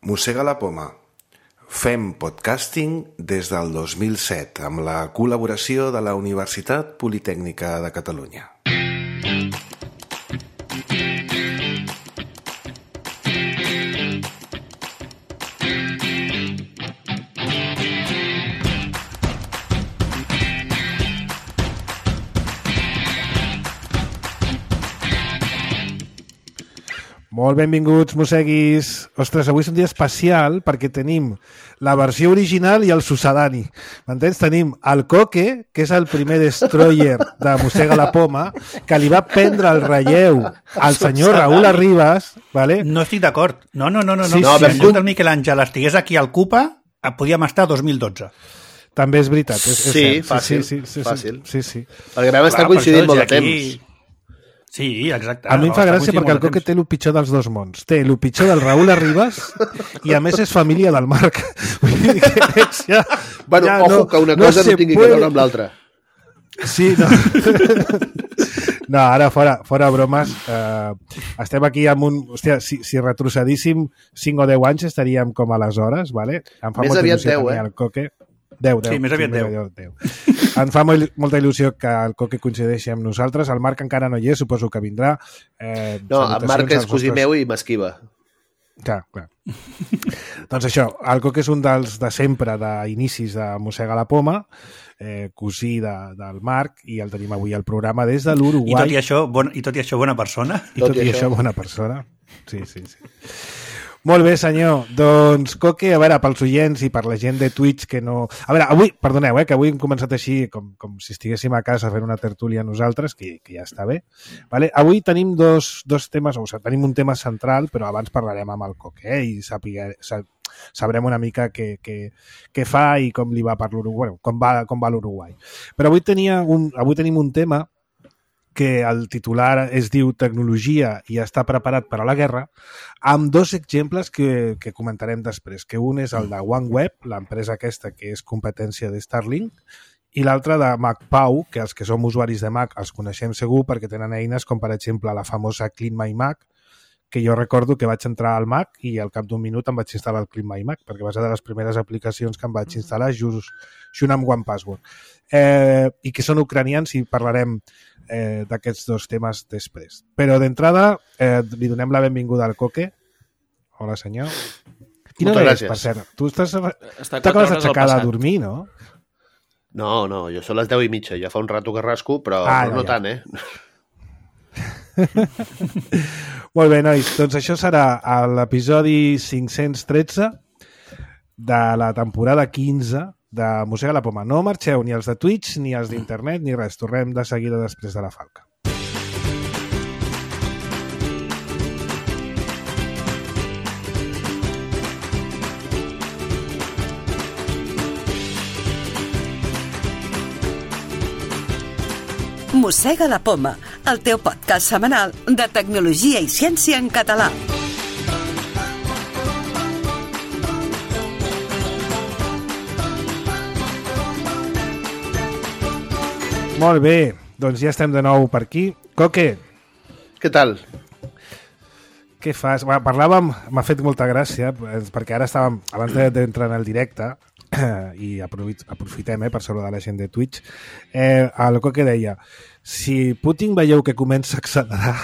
Mossega la poma. Fem podcasting des del 2007 amb la col·laboració de la Universitat Politècnica de Catalunya. Molt benvinguts, mosseguis. Ostres, avui és un dia especial perquè tenim la versió original i el sucedani. M'entens? Tenim el Coque, que és el primer destroyer de Mossega la poma, que li va prendre el relleu al senyor Raúl Arribas. ¿Vale? No estic d'acord. No. Sí, Si en lloc del Miquel Àngel estigués aquí al CUPA, podíem estar a 2012. També és veritat. És cert. Fàcil. Sí. Perquè vam estar coincidint molt de temps. Sí, exacte. A mi em fa gràcia perquè el Coque té el pitjor dels dos mons. Té el pitjor del Raúl Arribas i a més és família del Marc. Vull dir que ja, bueno, ja ojo, que una cosa no tingui que veure amb l'altra. Sí, no. No, ara fora bromes. Estem aquí amb un... Hòstia, si retrocedíssim 5 o 10 anys estaríem com aleshores, ¿vale? Em fa més molta aviat il·lusió 10, el Coque. 10. Sí, més aviat 10. Em fa molta il·lusió que el Coque coincideixi amb nosaltres. El Marc encara no hi és, suposo que vindrà. No, el Marc és cosí meu i m'esquiva. Clar. Doncs això, el Coque és un dels de sempre, d'inicis de Mossega la poma, cosí del Marc, i el tenim avui al programa des de l'Uruguai. I tot i això, bona persona. I tot i això, bona persona. Sí. Molt bé, senyor. Doncs, Coque, a veure, pels oients i per la gent de Twitch que no... A veure, avui, perdoneu, que avui hem començat així com si estiguéssim a casa fent una tertúlia nosaltres, que ja està bé. Vale? Avui tenim dos temes, o sigui, tenim un tema central, però abans parlarem amb el Coque, i sabrem una mica què fa i com li va per l'Uruguai, com va l'Uruguai. Però avui tenim un tema que el titular es diu Tecnologia i està preparat per a la guerra, amb dos exemples que comentarem després, que un és el de OneWeb, l'empresa aquesta que és competència de Starlink, i l'altre de MacPau, que els que som usuaris de Mac els coneixem segur perquè tenen eines com, per exemple, la famosa Clean My Mac, que jo recordo que vaig entrar al Mac i al cap d'un minut em vaig instal·lar el Clean My Mac, perquè va ser de les primeres aplicacions que em vaig instal·lar junt amb OnePassword. I que són ucranians i parlarem d'aquests dos temes després. Però d'entrada li donem la benvinguda al Coque. Hola, senyor. Quina hora és, per cert? Tu t'acabes d'aixecar de dormir, no? No, jo són les 10:30. Ja fa un rato que rasco, però no tant, Molt bé, nois. Doncs això serà l'episodi 513 de la temporada 15 de Mossega la poma. No marxeu ni els de Twitch, ni els d'internet, ni res. Tornem de seguida després de la falca. Mossega la poma, el teu podcast setmanal de tecnologia i ciència en català. Molt bé, doncs ja estem de nou per aquí. Coque. Què tal? Què fas? Parlàvem, m'ha fet molta gràcia, perquè ara estàvem, abans d'entrar en el directe, i aprofitem per saludar la gent de Twitch, el Coque deia, si Putin veieu que comença a accelerar,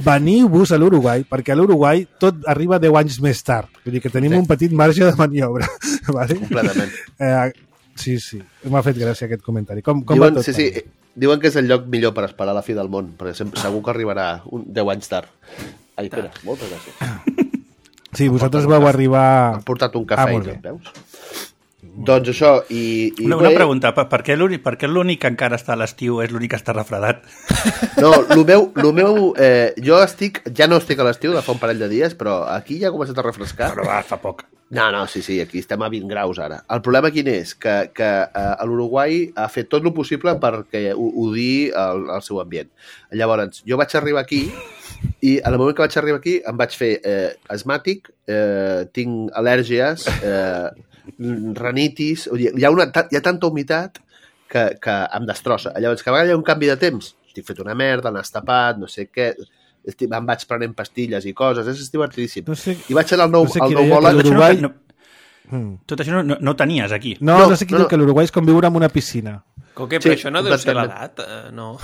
veniu-vos a l'Uruguai, perquè a l'Uruguai tot arriba 10 anys més tard. Vull dir que tenim un petit marge de maniobra. Vale? Completament. Sí, m'ha fet gràcia aquest comentari. Com va tot? Sí. Diuen que és el lloc millor per esperar la fi del món, perquè segur que arribarà 10 anys tard. Ai, espera, moltes gràcies. Sí, vosaltres vau arribar... Han portat un cafè i tot, veus? Doncs això, Una pregunta, per què l'únic que encara està a l'estiu és l'únic que està refredat? No, el meu jo ja no estic a l'estiu de fa un parell de dies, però aquí ja ha començat a refrescar. Però fa poc. No, sí, aquí estem a 20 graus ara. El problema quin és? Que l'Uruguai ha fet tot el possible perquè odiï el seu ambient. Llavors, jo vaig arribar aquí i en el moment que vaig arribar aquí em vaig fer asmàtic, tinc al·lèrgies, rinitis, hi ha tanta humitat que em destrossa. Llavors, cada vegada hi ha un canvi de temps, estic fet una merda, nas tapat, no sé què, Em vaig prenent pastilles i coses, és divertidíssim. No sé, I vaig anar al no sé qui deia que pneumòleg... l'Uruguai... Tot això no ho tenies aquí. No sé qui diu que l'Uruguai és com viure en una piscina. Coque, però això no deu ser l'edat, no.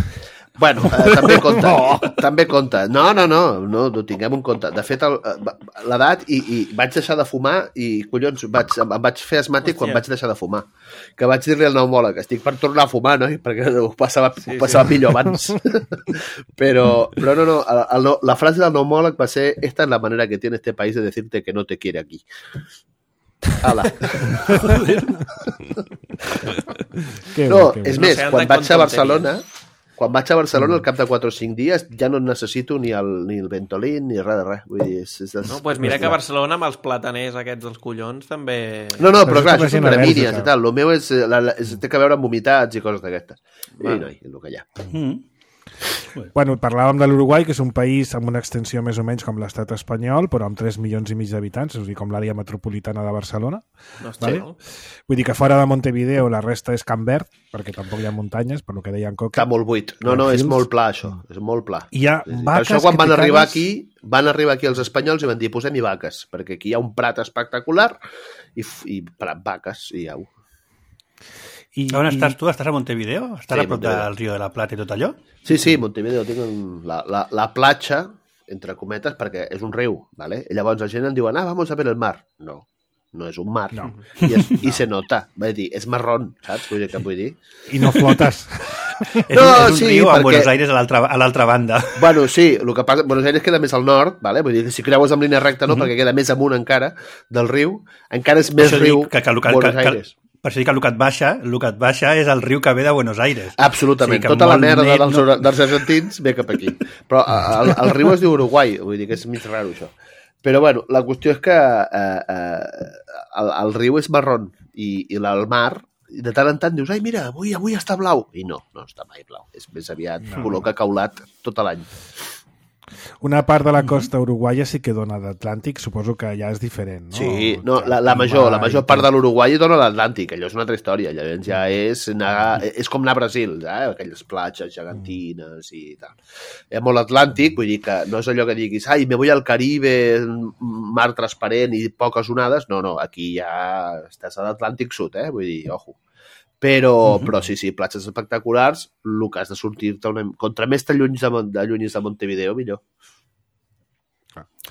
Bueno, també compta. També compta. No, ho tinguem en compte. De fet, l'edat, i vaig deixar de fumar i, collons, em vaig fer asmàtic quan vaig deixar de fumar. Que vaig dir-li al pneumòleg, estic per tornar a fumar, no? Perquè ho passava millor abans. Però no, la frase del pneumòleg va ser: esta es la manera que tiene este país de decirte que no te quiere aquí. Ala. No, és més, quan vaig a Barcelona... Quan vaig a Barcelona, al cap de 4 o 5 dies, ja no necessito ni el Ventolin ni res de res. Vull dir, no, doncs mira que a Barcelona amb els plataners aquests dels collons també... No, però clar, això són gramínies i tal. El meu té que veure amb vomitats i coses d'aquestes. I no, és el que hi ha. Bueno, parlàvem de l'Uruguai, que és un país amb una extensió més o menys com l'estat espanyol, però amb 3 milions i mig d'habitants, és a dir, com l'àrea metropolitana de Barcelona. No està vale? Vull dir que fora de Montevideo la resta és Camp Verd, perquè tampoc hi ha muntanyes, per lo que deia en Coque. Està molt buit. No, és molt pla, això. És molt pla. Hi ha vaques. Per això, quan van arribar aquí els espanyols i van dir, posem-hi vaques, perquè aquí hi ha un prat espectacular i vaques, i au. On estàs tu? Estàs a Montevideo? Estàs a prop del Río de la Plata i tot allò? Sí, Montevideo. Tinc la platja, entre cometes, perquè és un riu, ¿vale? I llavors la gent em diuen, vamos a ver el mar. No és un mar. No. I se nota. Vull dir, és marrón, saps? Vull dir. I no flotes. És un riu amb Buenos Aires a l'altra banda. Bueno, sí, el que passa... Buenos Aires queda més al nord, ¿vale? Vull dir que si creues en línia recta, no, perquè queda més amunt encara del riu. Encara és més riu Buenos Aires. Per això dic que el que et baixa és el riu que ve de Buenos Aires. Absolutament. Tota la merda dels argentins ve cap aquí. Però el riu es diu Uruguai, vull dir que és mig raro, això. Però, bueno, la qüestió és que el riu és marrón i el mar, de tant en tant dius, ai, mira, avui està blau. I no està mai blau. És més aviat color cacaulat tot l'any. Una part de la costa uruguaia sí que dona d'Atlàntic, suposo que ja és diferent, no? Sí, no, la major part de l'Uruguai dona l'Atlàntic, allò és una altra història, llavors ja és com anar a Brasil, aquelles platges gegantines i tal. Hi ha molt Atlàntic, vull dir que no és allò que diguis, ai, me voy al Caribe, mar transparent i poques onades, no, aquí ja estàs a l'Atlàntic Sud, vull dir, ojo. Però sí, platges espectaculars, el que has de sortir-te... Contra més t'allunyis de Montevideo, millor.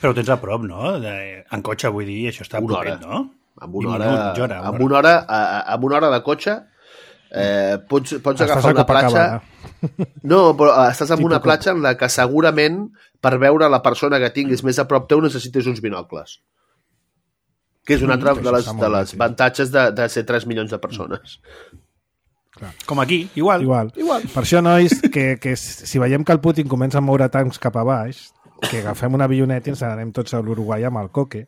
Però ho tens a prop, no? En cotxe, vull dir, això està propet, no? Amb una hora de cotxe pots agafar una platja... No, però estàs en una platja en la que segurament per veure la persona que tinguis més a prop teu necessites uns binocles. Que és una altra de les avantatges de ser 3 milions de persones. Clar. Com aquí, igual. Per això, nois, que si veiem que el Putin comença a moure tancs cap a baix, que agafem una avioneta i ens n'anem tots a l'Uruguai amb el Coque.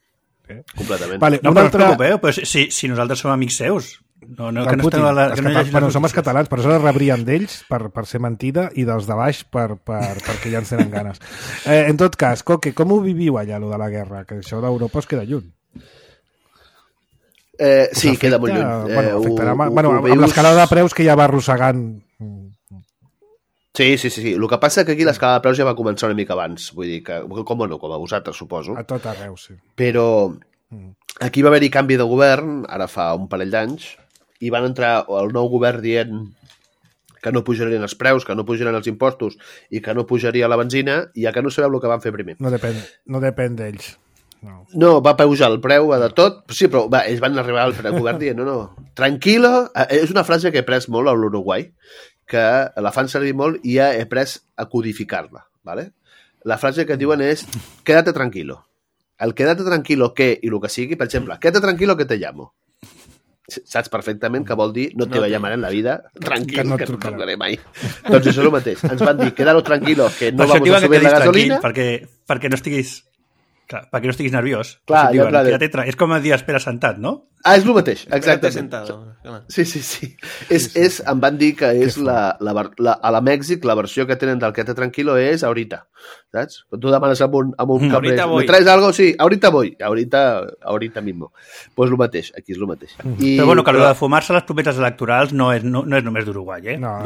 Completament. Vale, no, però no us preocupeu, però si nosaltres som amics seus. Som els catalans, per això rebrien d'ells per ser mentida i dels de baix perquè ja ens tenen ganes. En tot cas, Coque, com ho viviu allà, allò de la guerra? Que això d'Europa es queda lluny. Sí, queda molt lluny. Amb l'escalada de preus que ja va arrossegant... Sí. El que passa que aquí l'escalada de preus ja va començar una mica abans. Vull dir que, com a vosaltres, suposo. A tot arreu, sí. Però aquí va haver-hi canvi de govern, ara fa un parell d'anys, i van entrar el nou govern dient que no pujarien els preus, que no pujarien els impostos i que no pujaria la benzina, i ja que no sabeu el que van fer primer. No depèn d'ells. No, va pujar el preu de tot, sí, però ells van arribar al govern dient, no, tranquilo, és una frase que he pres molt a l'Uruguai, que la fan servir molt i ja he pres a codificar-la, ¿vale? La frase que diuen és, quédate tranquilo. El quédate tranquilo que, i el que sigui, per exemple, quédate tranquilo que te llamo. Saps perfectament que vol dir no te llamaré en la vida, tranquil, que no et trucaré mai. Doncs això és el mateix. Ens van dir, quédalo tranquilo, que no vamos a subir la gasolina. Perquè no estiguis... Clar, perquè no estiguis nerviós. Clar, diuen, és com el dia espera sentat, no? És el mateix, exactament. Sentado. Sí. Em van dir que és a la Mèxic la versió que tenen del Quédate Tranquilo és ahorita, saps? Quan tu demanes amb un cambrer, ¿me traes algo? Sí, ahorita voy, ahorita mismo. Pues el mateix, aquí és el mateix. Però bueno, que de fumar-se les promeses electorals no és només d'Uruguai, eh? No,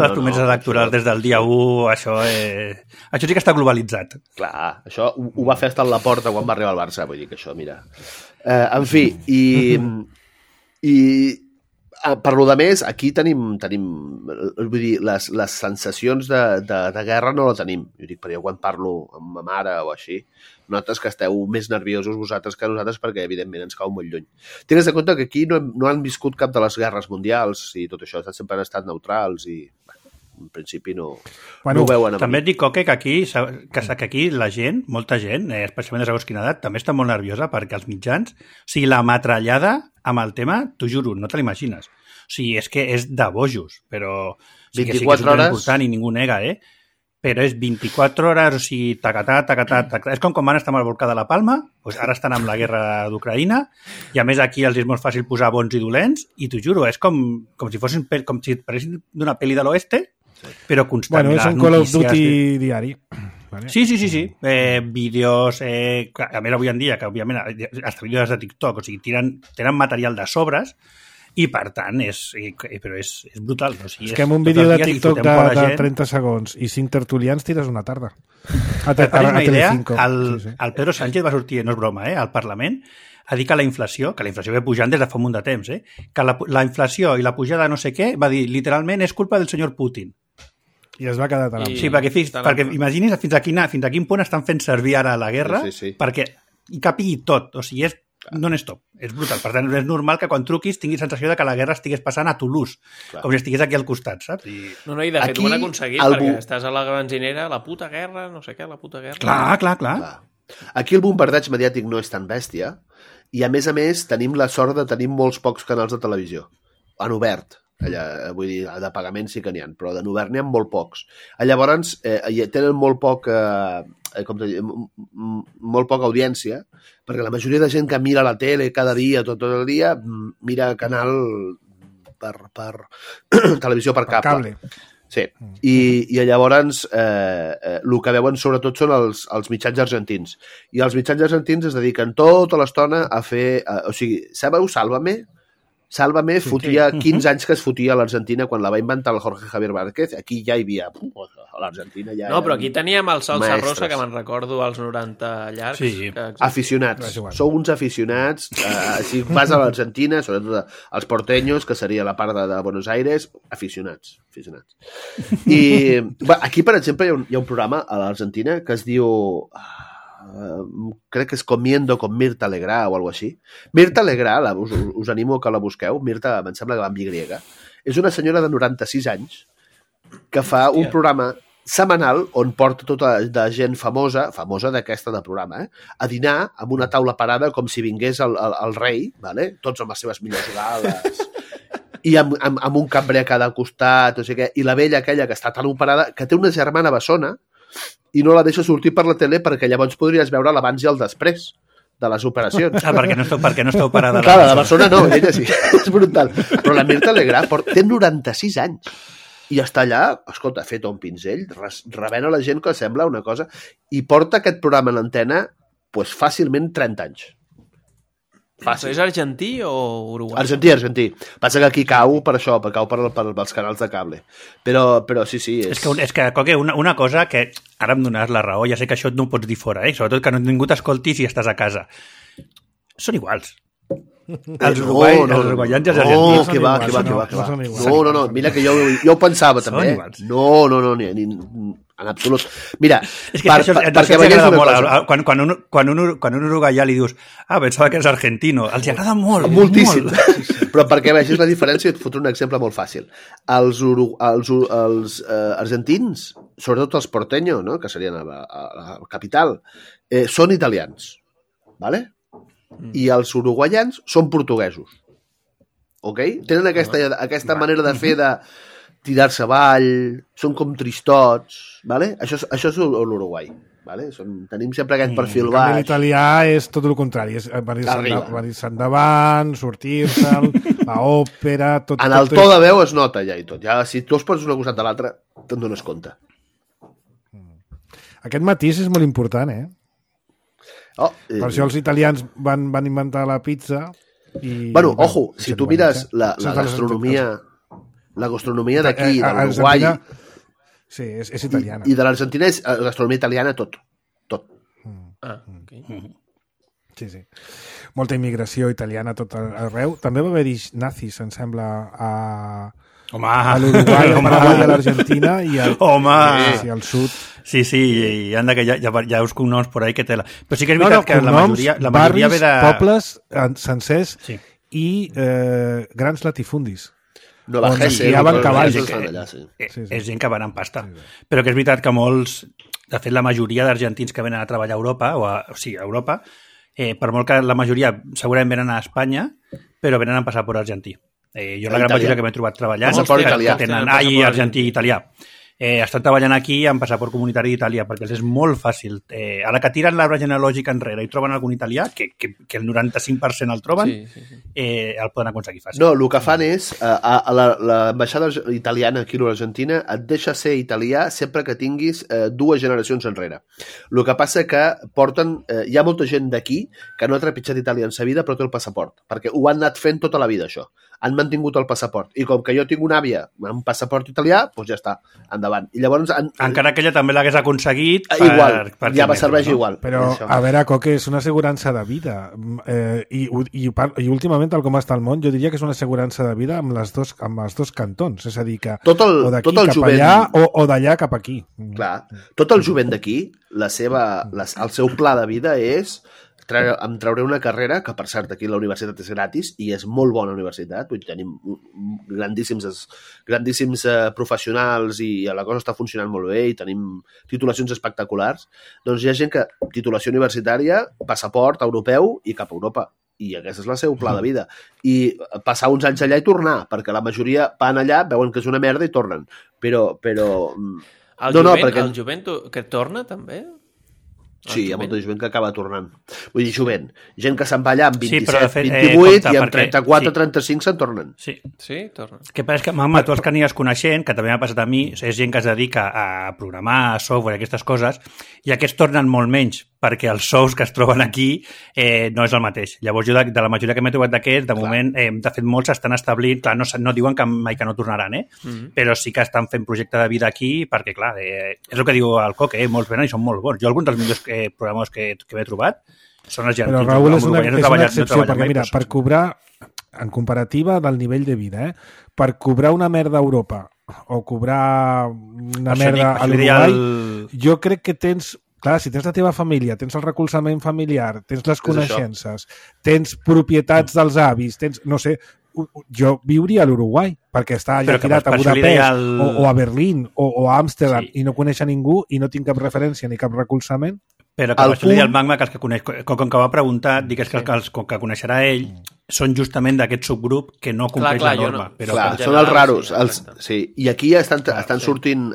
les promeses electorals des del dia 1, això sí que està globalitzat. Clar, això ho va fer estar a la porta quan va arribar al Barça, vull dir que això, mira... En fi, i per lo de més, aquí tenim vull dir, les sensacions de guerra no la tenim. Jo dic, però jo quan parlo amb ma mare o així, notes que esteu més nerviosos vosaltres que nosaltres perquè, evidentment, ens cau molt lluny. Tingues en compte que aquí no han viscut cap de les guerres mundials i tot això, sempre han estat neutrals i... en principi no ho veuen amb també et dic, Coque, que aquí la gent, molta gent, especialment de segons quina edat, també està molt nerviosa perquè els mitjans, o sigui, la metrallada amb el tema, t'ho juro, no te l'imagines. O sigui, és que és de bojos, però sí que és important i ningú nega, però és 24 hores, o sigui, tacatà. És com quan van estar amb el volcà de la Palma, doncs ara estan amb la guerra d'Ucraïna, i a més aquí els és molt fàcil posar bons i dolents, i t'ho juro, és com si paressin d'una pel·li de l'oeste, però constant. Bueno, és un Call of Duty diari. Vale. Sí. Vídeos, a més avui en dia, que òbviament els vídeos de TikTok, o sigui, tenen material de sobres i per tant és brutal. O sigui, és que amb un vídeo de TikTok de 30 segons i 5 tertulians tires una tarda. Per una idea, el Pedro Sánchez va sortir, no és broma, al Parlament, a dir que la inflació ve pujant des de fa un munt de temps, que la inflació i la pujada no sé què, va dir, literalment, és culpa del senyor Putin. I es va quedar tan amb. Sí, perquè imagini's fins a quin punt estan fent servir ara la guerra perquè hi capigui tot. O sigui, és non-stop. És brutal. Per tant, és normal que quan truquis tinguis sensació de que la guerra estigués passant a Toulouse, com si estigués aquí al costat, saps? No, i de fet ho han aconseguit, perquè estàs a la benzinera, la puta guerra, no sé què, la puta guerra... Clar. Aquí el bombardeig mediàtic no és tan bèstia i, a més, tenim la sort de tenir molts pocs canals de televisió. En obert. Vull dir, de pagament sí que n'hi ha, però de obert n'hi ha molt pocs. Llavors, tenen molt poca audiència, perquè la majoria de gent que mira la tele cada dia, tot el dia, mira canal per televisió per cable. Sí, i llavors el que veuen sobretot són els mitjans argentins. I els mitjans argentins es dediquen tota l'estona a fer... O sigui, sabeu Sálvame? Sálvame fotia 15 anys que es fotia a l'Argentina quan la va inventar el Jorge Javier Márquez. Aquí ja hi havia... A l'Argentina ja... No, però aquí teníem el Salsa Rosa, que me'n recordo als 90 llargs. Sí. Aficionats. Sou uns aficionats. Si vas a l'Argentina, sobretot els porteños, que seria la part de Buenos Aires, aficionats. I aquí, per exemple, hi ha un programa a l'Argentina que es diu... crec que és Comiendo con Mirta Legrand o alguna cosa així. Mirta Legrand, us animo que la busqueu. Mirta, em sembla que va amb Y. És una senyora de 96 anys que fa un programa setmanal on porta tota de gent famosa d'aquesta de programa, a dinar amb una taula parada com si vingués el rei, vale? Tots amb les seves millors gales i amb un cambrer a cada costat, o sigui, i la vella aquella que està tan operada, que té una germana bessona i no la deixa sortir per la tele perquè llavors podries veure l'abans i el després de les operacions. Perquè no està operada. Clar, la persona no, ella sí. És brutal. Però la Mirta Legrand té 96 anys i està allà, escolta, fet un pinzell, rebent a la gent que sembla una cosa, i porta aquest programa en l'antena fàcilment 30 anys. Fàcil. És argentí o uruguai? Argentí. Passa que aquí cau per això, cau pels canals de cable. Però sí. És que Coque, una cosa que ara em dones la raó, ja sé que això no ho pots dir fora, sobretot que ningú t'escolti si estàs a casa. Són iguals. Els uruguaians i els argentins. Que va. No, mira que jo ho pensava també. No, en absolut. Mira, és que això t'agrada molt. Quan un uruguaià li dius pensava que és argentino, els agrada molt. Moltíssim. Però perquè vegis la diferència, et fotré un exemple molt fàcil. Els argentins, sobretot els porteños, no? Que serien la capital, són italians. ¿Vale? I els uruguaians són portuguesos. Ok? Tenen aquesta manera de fer de... tirar-se avall, són com tristots, vale? Això és l'Uruguai. Vale? Tenim sempre aquest perfil baix. L'italià és tot el contrari, és venir-se endavant, sortir-se'l, l'òpera... En el to de veu es nota ja i tot. Ja, si tu es poses una costat de l'altra, te'n dones compte. Aquest matís és molt important, eh? Per això els italians van inventar la pizza i... Bueno, ojo, si tu mires la gastronomia d'aquí, de l'Uruguai... Sí, és italiana. I de l'Argentina és gastronomia italiana tot. Ok. Sí. Molta immigració italiana tot arreu. També va haver-hi nazis, em sembla, a l'Uruguai, al Paraguai, a l'Argentina i al sud. Sí, i anda que hi ha uns cognoms por ahí que tela. Però sí que és veritat que la majoria barris, ve de... pobles sencers i grans latifundis. Nova Hesse, és gent que van amb pasta. Però que és veritat que molts, de fet la majoria d'argentins que venen a treballar a Europa, a Europa, per molt que la majoria segurament venen a Espanya, però venen amb passaport argentí. Jo la gran majoria que m'he trobat treballant que tenen argentí i italià. Estan treballant aquí amb passaport comunitari d'Itàlia perquè els és molt fàcil. A la que tiren l'arbre genealògic enrere i troben algun italià, que el 95% el troben, el poden aconseguir fàcil. No, el que fan és, l'ambaixada italiana aquí a l'Argentina et deixa ser italià sempre que tinguis 2 generacions enrere. El que passa que porten... hi ha molta gent d'aquí que no ha trepitjat Itàlia en sa vida però té el passaport, perquè ho han anat fent tota la vida, això. Han mantingut el passaport. I com que jo tinc una àvia amb un passaport italià, doncs ja està, endavant. I llavors... Encara que ella també l'hagués aconseguit... Igual, ja va serveix igual. Però, a veure, Coque, és una assegurança de vida. I últimament, tal com està el món, jo diria que és una assegurança de vida amb els dos cantons. És a dir, que o d'aquí cap allà o d'allà cap aquí. Clar. Tot el jovent d'aquí, el seu pla de vida és... em trauré una carrera, que per cert aquí la universitat és gratis i és molt bona universitat, vull dir, tenim grandíssims professionals i la cosa està funcionant molt bé i tenim titulacions espectaculars, doncs hi ha gent que titulació universitària, passaport europeu i cap a Europa, i aquest és el seu pla de vida, i passar uns anys allà i tornar, perquè la majoria van allà, veuen que és una merda i tornen, però... El jovent que torna també? Sí, hi ha molta gent que acaba tornant. Vull dir, jovent. Gent que se'n va allà amb 27, fet, 28 i amb 34, 35 se'n tornen. Sí, tornen. Que passa que, mama, tu els que aniràs coneixent, que també m'ha passat a mi, és gent que es dedica a programar, a software i aquestes coses, i aquests tornen molt menys, perquè els sous que es troben aquí no és el mateix. Llavors jo, de la majoria que m'he trobat d'aquests, de moment, de fet, molts s'estan establint, clar, no diuen que mai que no tornaran, però sí que estan fent projecte de vida aquí, perquè, clar, és el que diu el Coque, molts venen i són molt bons. Jo, alguns dels millors programes que m'he trobat són argentins. Però, Raül, és una excepció, perquè, mira, per cobrar, en comparativa del nivell de vida, per cobrar una merda a Europa o cobrar una merda a l'Uruguai, jo crec que tens... Clar, si tens la teva família, tens el recolzament familiar, tens les coneixences, tens propietats dels avis, tens, no sé, jo viuria a l'Uruguai, perquè està allà tirat a Budapest o a Berlín o a Amsterdam i no coneix a ningú i no tinc cap referència ni cap recolzament. Però que això li deia el Magma, que els que coneix, com que va preguntar, digues que els que coneixerà ell són justament d'aquest subgrup que no compleix la norma. No. Però són els raros. Sí. I aquí estan sortint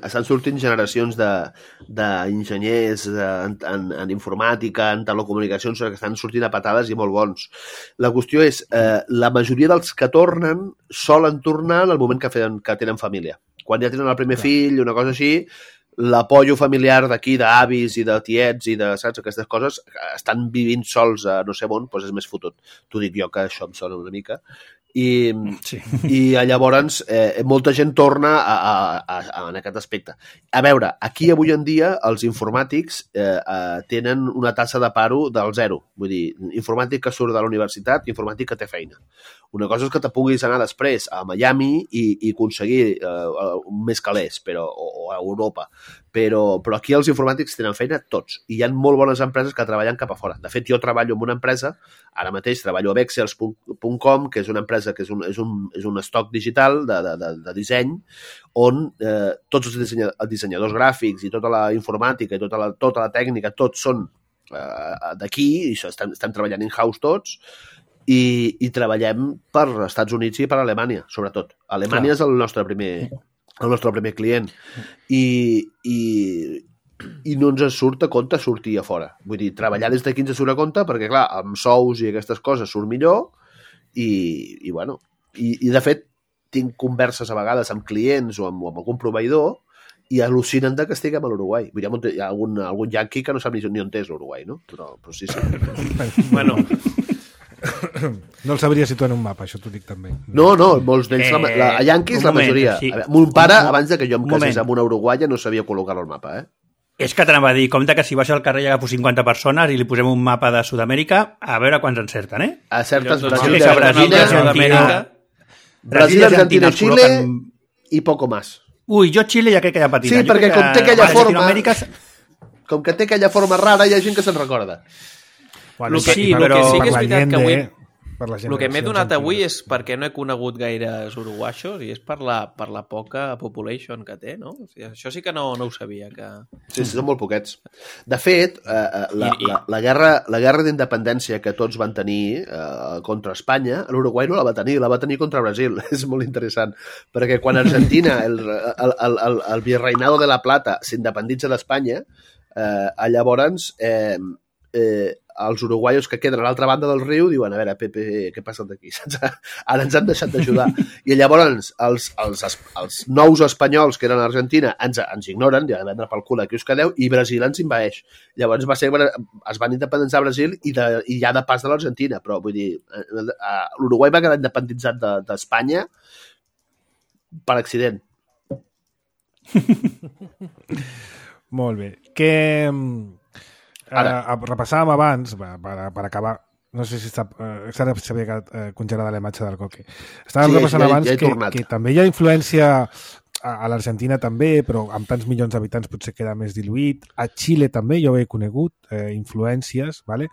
generacions d'enginyers en informàtica, en telecomunicacions, que estan sortint a patades i molt bons. La qüestió és, la majoria dels que tornen solen tornar en el moment que tenen família. Quan ja tenen el primer fill, una cosa així, l'apollo familiar d'aquí, d'avis i de tiets i de, saps, aquestes coses, estan vivint sols a no sé on, doncs és més fotut. T'ho dic jo, que això em sona una mica. I llavors molta gent torna en aquest aspecte. A veure, aquí avui en dia els informàtics tenen una tassa de paro del 0. Vull dir, informàtic que surt de la universitat, informàtic que té feina. Una cosa és que te puguis anar després a Miami i aconseguir més calés, o a Europa. Però aquí els informàtics tenen feina tots. I hi ha molt bones empreses que treballen cap a fora. De fet, jo treballo en una empresa, ara mateix treballo a Vexels.com, que és una empresa que és un estoc digital de disseny, on tots els dissenyadors gràfics i tota la informàtica i tota la tècnica, tots són d'aquí, i estem treballant in-house tots, i treballem per Estats Units i per Alemanya, sobretot. Alemanya és el nostre primer el nostre primer client, i no ens surt a compte sortir a fora. Vull dir, treballar des d'aquí ens surt a compte perquè, clar, amb sous i aquestes coses surt millor i bueno, i de fet tinc converses a vegades amb clients o amb algun proveïdor i al·lucinen que estiguem a l'Uruguai. Vull dir, hi ha algun yanqui que no sap ni on és l'Uruguai, no? Però sí. Bueno... No el sabria situar en un mapa, això t'ho dic també. No, molts d'ells, a yanquis la majoria. Sí. Mon pare, abans que jo em casés amb una uruguaia, no sabia col·locar-lo al mapa, És que t'anava a dir, compte que si baixo al carrer i agafo 50 persones i li posem un mapa de Sud-amèrica, a veure quants encerten, A certes Brasil, Argentina, Xile i poco más. Ui, jo Xile ja crec que ja patina. Sí, perquè com té aquella forma... Com que té aquella forma rara, hi ha gent que se'n recorda. Bueno, el que sí que és veritat que avui... El que m'he donat avui és perquè no he conegut gaires uruguaixos i és per la poca population que té, no? O sigui, això sí que no ho sabia. Que... Sí, són molt poquets. De fet, la guerra d'independència que tots van tenir contra Espanya, l'Uruguai no la va tenir contra Brasil. És molt interessant, perquè quan Argentina, el virreinado de la Plata, s'independitza d'Espanya, llavors... els uruguaios que queden a l'altra banda del riu diuen, a veure, Pepe, què passa d'aquí? Ara ens han deixat d'ajudar. I llavors els nous espanyols que eren a Argentina ens ignoren, ja vendre pel cul aquí us quedeu, i Brasil ens invaeix. Llavors es van independitzar a Brasil i ja de pas de l'Argentina, però vull dir, l'Uruguai va quedar independitzat d'Espanya per accident. Molt bé. Repassàvem abans, per acabar, no sé si s'havia quedat congelada la imatge del Coque. Estàvem repassant abans que també hi ha influència a l'Argentina també, però amb tants milions d'habitants potser queda més diluït. A Xile també jo he conegut influències, ¿vale?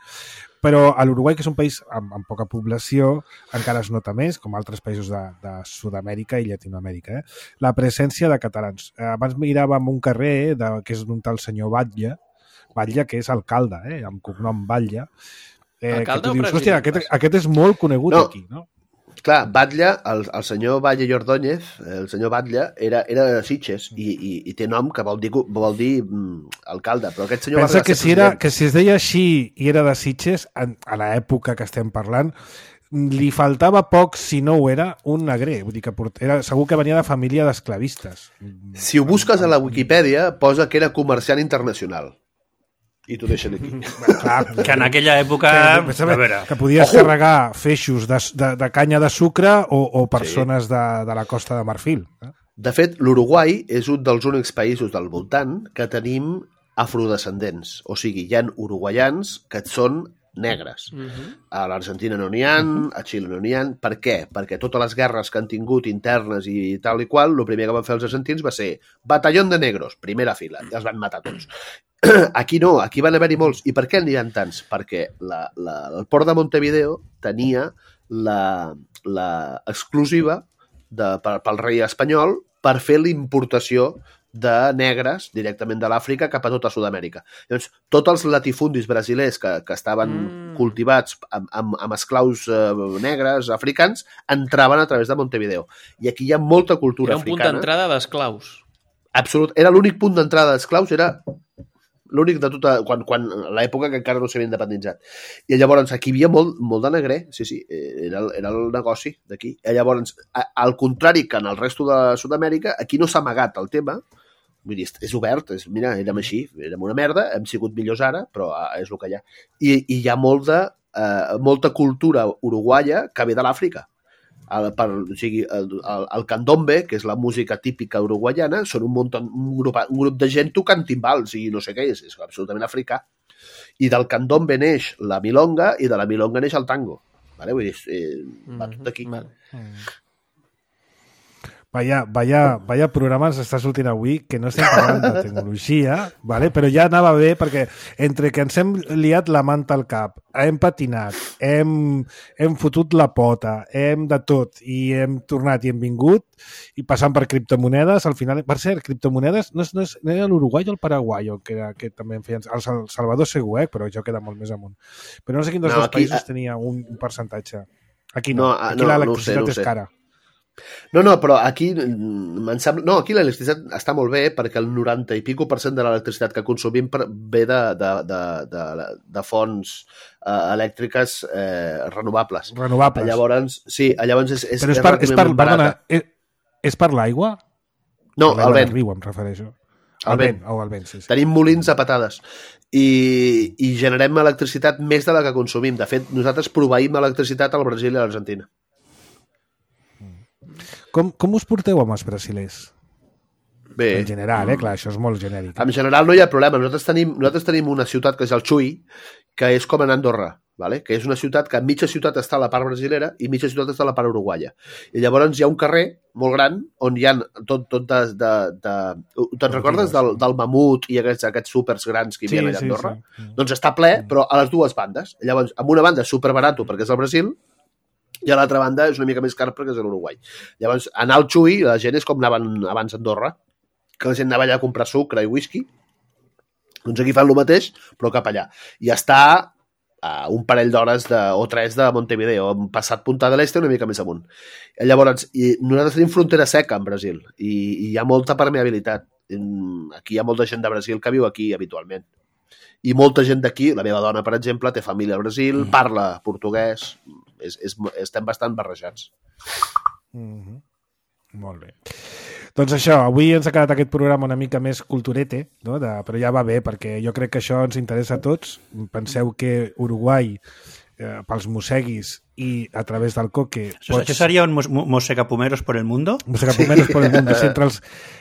Però a l'Uruguai, que és un país amb poca població, encara es nota més, com altres països de Sud-amèrica i Llatinoamèrica. La presència de catalans. Abans miràvem un carrer que és d'un tal senyor Batlle, que és alcalde, amb cognom Batlle. Alcalde o dius, president? hòstia, aquest és molt conegut aquí, no? Clar, Batlle, el senyor Batlle i Ordóñez, el senyor Batlle, era de Sitges i té nom que vol dir alcalde, però aquest senyor pensa que si es deia així i era de Sitges, a l'època que estem parlant, li faltava poc, si no ho era, un negrer. Vull dir que segur que venia de família d'esclavistes. Si ho busques a la Wikipedia, posa que era comerciant internacional. I t'ho deixen aquí. Clar, que en aquella època... Que podies carregar feixos de canya de sucre o persones de la Costa de Marfil. De fet, l'Uruguai és un dels únics països del voltant que tenim afrodescendents. O sigui, hi ha uruguaians que són negres. A l'Argentina no n'hi ha, a Xile no n'hi ha. Per què? Perquè totes les guerres que han tingut internes i tal i qual, el primer que van fer els argentins va ser batallón de negros, primera fila, i els van matar tots. Aquí no, aquí van haver-hi molts. I per què n'hi ha tants? Perquè el port de Montevideo tenia l'exclusiva pel rei espanyol per fer l'importació de negres directament de l'Àfrica cap a tota Sud-amèrica. Llavors, tots els latifundis brasilers que estaven cultivats amb esclaus negres, africans, entraven a través de Montevideo. I aquí hi ha molta cultura africana. Era un punt d'entrada d'esclaus. Absolut. Era l'únic punt d'entrada d'esclaus, era l'únic de tota... Quan l'època que encara no s'havia independitzat. I llavors aquí hi havia molt de negrer, sí, era el negoci d'aquí. I llavors, al contrari que en el resto de Sud-amèrica, aquí no s'ha amagat el tema, vull dir, és obert, mira, érem així, érem una merda, hem sigut millors ara, però és el que hi ha. I hi ha molta cultura uruguaia que ve de l'Àfrica. O sigui, el candombe, que és la música típica uruguaiana, són un grup de gent tocant timbals i no sé què, és absolutament africà. I del candombe neix la milonga i de la milonga neix el tango. Vale? Vull dir, va tot aquí. Vaya programa ens està sortint avui, que no estem parlant de tecnologia, vale? Però ja anava bé, perquè entre que ens hem liat la manta al cap, hem patinat, hem fotut la pota, hem de tot, i hem tornat i hem vingut, i passant per criptomonedes, al final... Per cert, criptomonedes no era l'Uruguai o el Paraguai, que també en feien... El Salvador segur, però això queda molt més amunt. Però no sé quin dels dos països tenia un percentatge. Aquí no, aquí l'electricitat és cara. No, però aquí em sembla... No, aquí l'electricitat està molt bé perquè el 90 i pico % de l'electricitat que consumim ve de fonts elèctriques renovables. Renovables. Llavors, sí, llavors és però és per l'aigua? No, el vent. Riu, em refereixo. El vent. El vent, sí. Tenim molins a patades i generem electricitat més de la que consumim. De fet, nosaltres proveïm electricitat al Brasil i a l'Argentina. Com us porteu amb els brasilers? Bé. En general, clar, això és molt genèric. En general no hi ha problema. Nosaltres tenim una ciutat que és el Chuy, que és com en Andorra, ¿vale? Que és una ciutat que mitja ciutat està a la part brasilera i mitja ciutat està a la part uruguaia. I llavors hi ha un carrer molt gran on hi ha tot te'n recordes del mamut i aquests súpers grans que hi havia allà a Andorra? Sí. Doncs està ple, però a les dues bandes. Llavors, amb una banda és superbarato perquè és el Brasil i a l'altra banda és una mica més car perquè és l'Uruguai. Llavors, anar al Chuy, la gent és com anaven abans a Andorra, que la gent anava allà a comprar sucre i whisky. Doncs aquí fan el mateix, però cap allà. I està a un parell d'hores o 3 de Montevideo, passat Punta del Este una mica més amunt. Llavors, nosaltres tenim frontera seca en Brasil i hi ha molta permeabilitat. Aquí hi ha molta gent de Brasil que viu aquí habitualment. I molta gent d'aquí, la meva dona, per exemple, té família al Brasil, parla portuguès, estem bastant barrejats. Molt bé. Doncs això, avui ens ha quedat aquest programa una mica més culturete, no? Però ja va bé, perquè jo crec que això ens interessa a tots. Penseu que Uruguai, pels mosseguis i a través del coque... Això seria un mossegapumeros por el mundo? Mossegapumeros por el mundo, sí,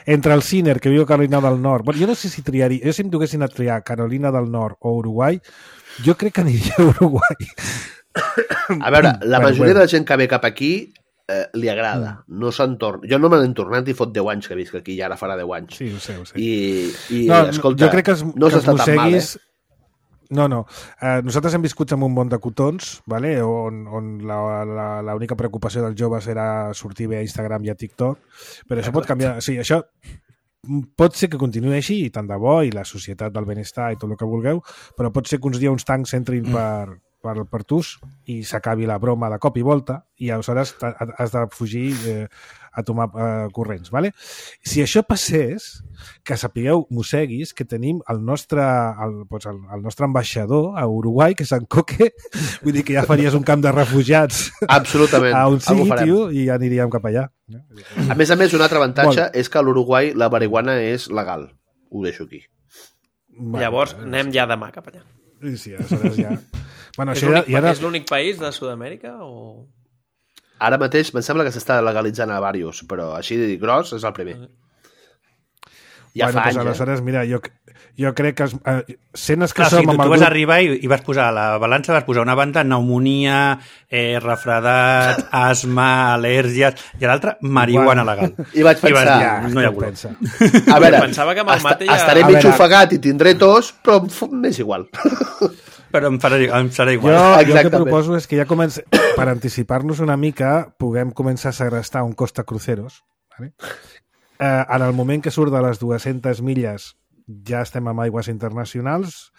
entre el Ciner, que viu a Carolina del Nord. Bueno, jo no sé si triaria... Jo si em duguessin a triar Carolina del Nord o Uruguai, jo crec que aniria a Uruguai. A veure, la majoria de la gent que ve cap aquí li agrada, no se'n torna. Jo no me n'he tornat i fot 10 anys que visc aquí, i ara farà 10 anys. Sí, ho sé. I no, escolta, jo crec que no s'està tan mal, No. Nosaltres hem viscut en un món de cotons, vale? on l'única preocupació dels joves era sortir bé a Instagram i a TikTok, però això pot canviar. Sí, això pot ser que continuï així, i tant de bo, i la societat del benestar i tot el que vulgueu, però pot ser que uns dies uns tancs entrin per tus i s'acabi la broma de cop i volta i aleshores has de fugir a tomar corrents, ¿vale? Si això passés, que sapigueu, mosseguis, que tenim el nostre ambaixador a Uruguai, que és en Coque, vull dir que ja faries un camp de refugiats absolutament a on sigui, tio, i ja aniríem cap allà. A més, un altre avantatge és que a l'Uruguai la marihuana és legal. Ho deixo aquí. Llavors, anem ja demà cap allà. Sí, aleshores ja... Bueno, és l'únic país de Sud-amèrica o...? Ara mateix em sembla que s'està legalitzant a diversos, però així gros és el primer. Ja fa anys, aleshores, mira, jo crec que escenes que som amb el grup... Tu vas arribar i vas posar a la balança, vas posar una banda pneumonia, refredat, asma, al·lèrgies, i a l'altra, marihuana legal. I vaig pensar... No hi ha color. A veure, pensava que amb el mate ja... estaré mig ofegat i tindré tos, però m'és igual. Però em serà igual. Jo el que proposo és que ja per anticipar-nos una mica puguem començar a segrestar un Costa Cruceros, ¿vale? En el moment que surt de les 200 milles ja estem amb aigües internacionals,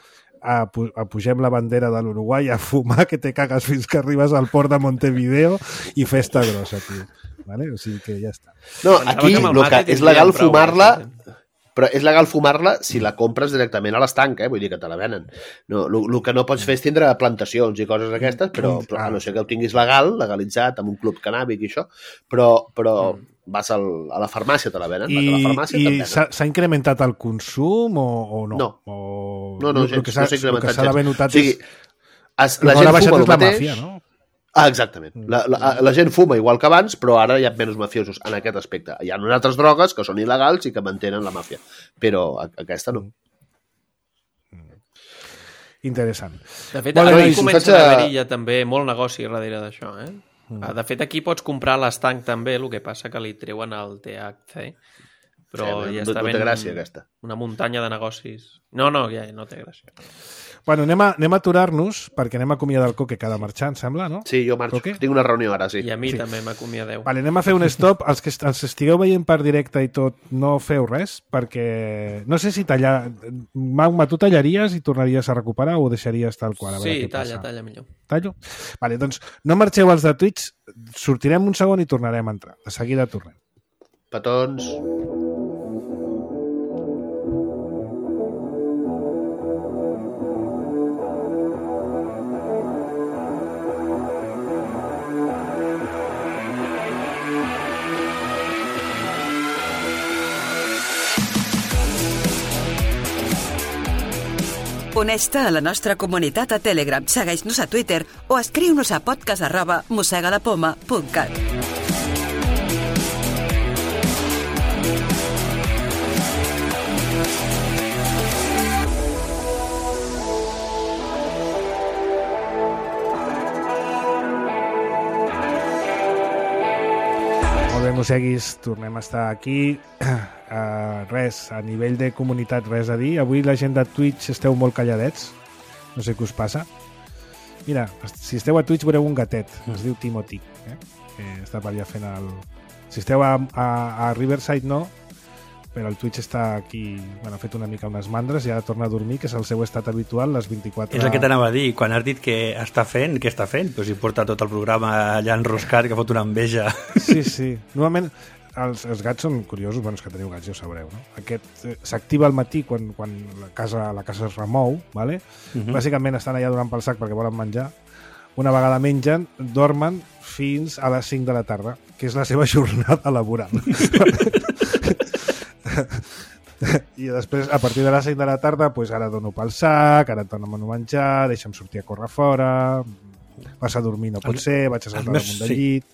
pugem la bandera de l'Uruguai a fumar que te cagues fins que arribes al port de Montevideo i festa grossa, tio. ¿Vale? O sigui que ja està. No, aquí és legal fumar-la... Però és legal fumar-la si la compres directament a l'estanc, vull dir que te la venen. No, el que no pots fer és tindre plantacions i coses aquestes, però a no ser que ho tinguis legalitzat, amb un club cannàbic i això, però vas a la farmàcia, te la venen. I s'ha incrementat el consum o no? No, no s'ha incrementat. El que s'ha d'haver notat és... La gent fuma el mateix... Màfia, no? Exactament. La gent fuma igual que abans, però ara hi ha menys mafiosos en aquest aspecte. Hi ha unes altres drogues que són il·legals i que mantenen la màfia, però aquesta no. Interessant. De fet, ara comença a haver-hi ja també molt negoci darrere d'això. De fet, aquí pots comprar l'estanc també, el que passa que li treuen el THC, però ja està ben gràcia, aquesta. Una muntanya de negocis. No, ja no té gràcia. Bueno, anem a aturar-nos, perquè anem a acomiadar el Coque que ha de marxar, em sembla, no? Sí, jo marxo. Coque? Tinc una reunió ara, sí. I a mi també m'acomiadeu. Vale, anem a fer un stop. Els que ens estigueu veient per directe i tot, no feu res, perquè no sé si tallar... Magma, tu tallaries i tornaries a recuperar o ho deixaries tal qual? A veure què passa. Talla millor. Tallo? Vale, doncs no marxeu els de Twitch, sortirem un segon i tornarem a entrar. De seguida tornem. Petons. Uneix-te a la nostra comunitat a Telegram, segueix-nos a Twitter o escriu-nos a podcast@mossegadapoma.cat. Molt bé, mosseguis, tornem a estar aquí. Res, a nivell de comunitat, res a dir. Avui la gent de Twitch esteu molt calladets. No sé què us passa. Mira, si esteu a Twitch veureu un gatet. Es diu Timothy. Que està per allà fent el... Si esteu a Riverside no, però el Twitch està aquí... Bueno, ha fet una mica unes mandres i ara torna a dormir, que és el seu estat habitual, les 24... És el que t'anava a dir. Quan has dit que està fent, què està fent? Pues si porta tot el programa allà enroscat, que fot una enveja. Sí. Normalment... Els gats són curiosos, bueno, és que teniu gats, ja ho sabreu, no? Aquest s'activa al matí quan la casa es remou, ¿vale? Bàsicament estan allà donant pel sac perquè volen menjar. Una vegada mengen, dormen fins a les 5 de la tarda, que és la seva jornada laboral. I després, a partir de les 5 de la tarda, pues ara dono pel sac, ara et dono a menjar, deixa'm sortir a córrer fora, vas a dormir, no pot ser, vaig a saltar damunt del llit...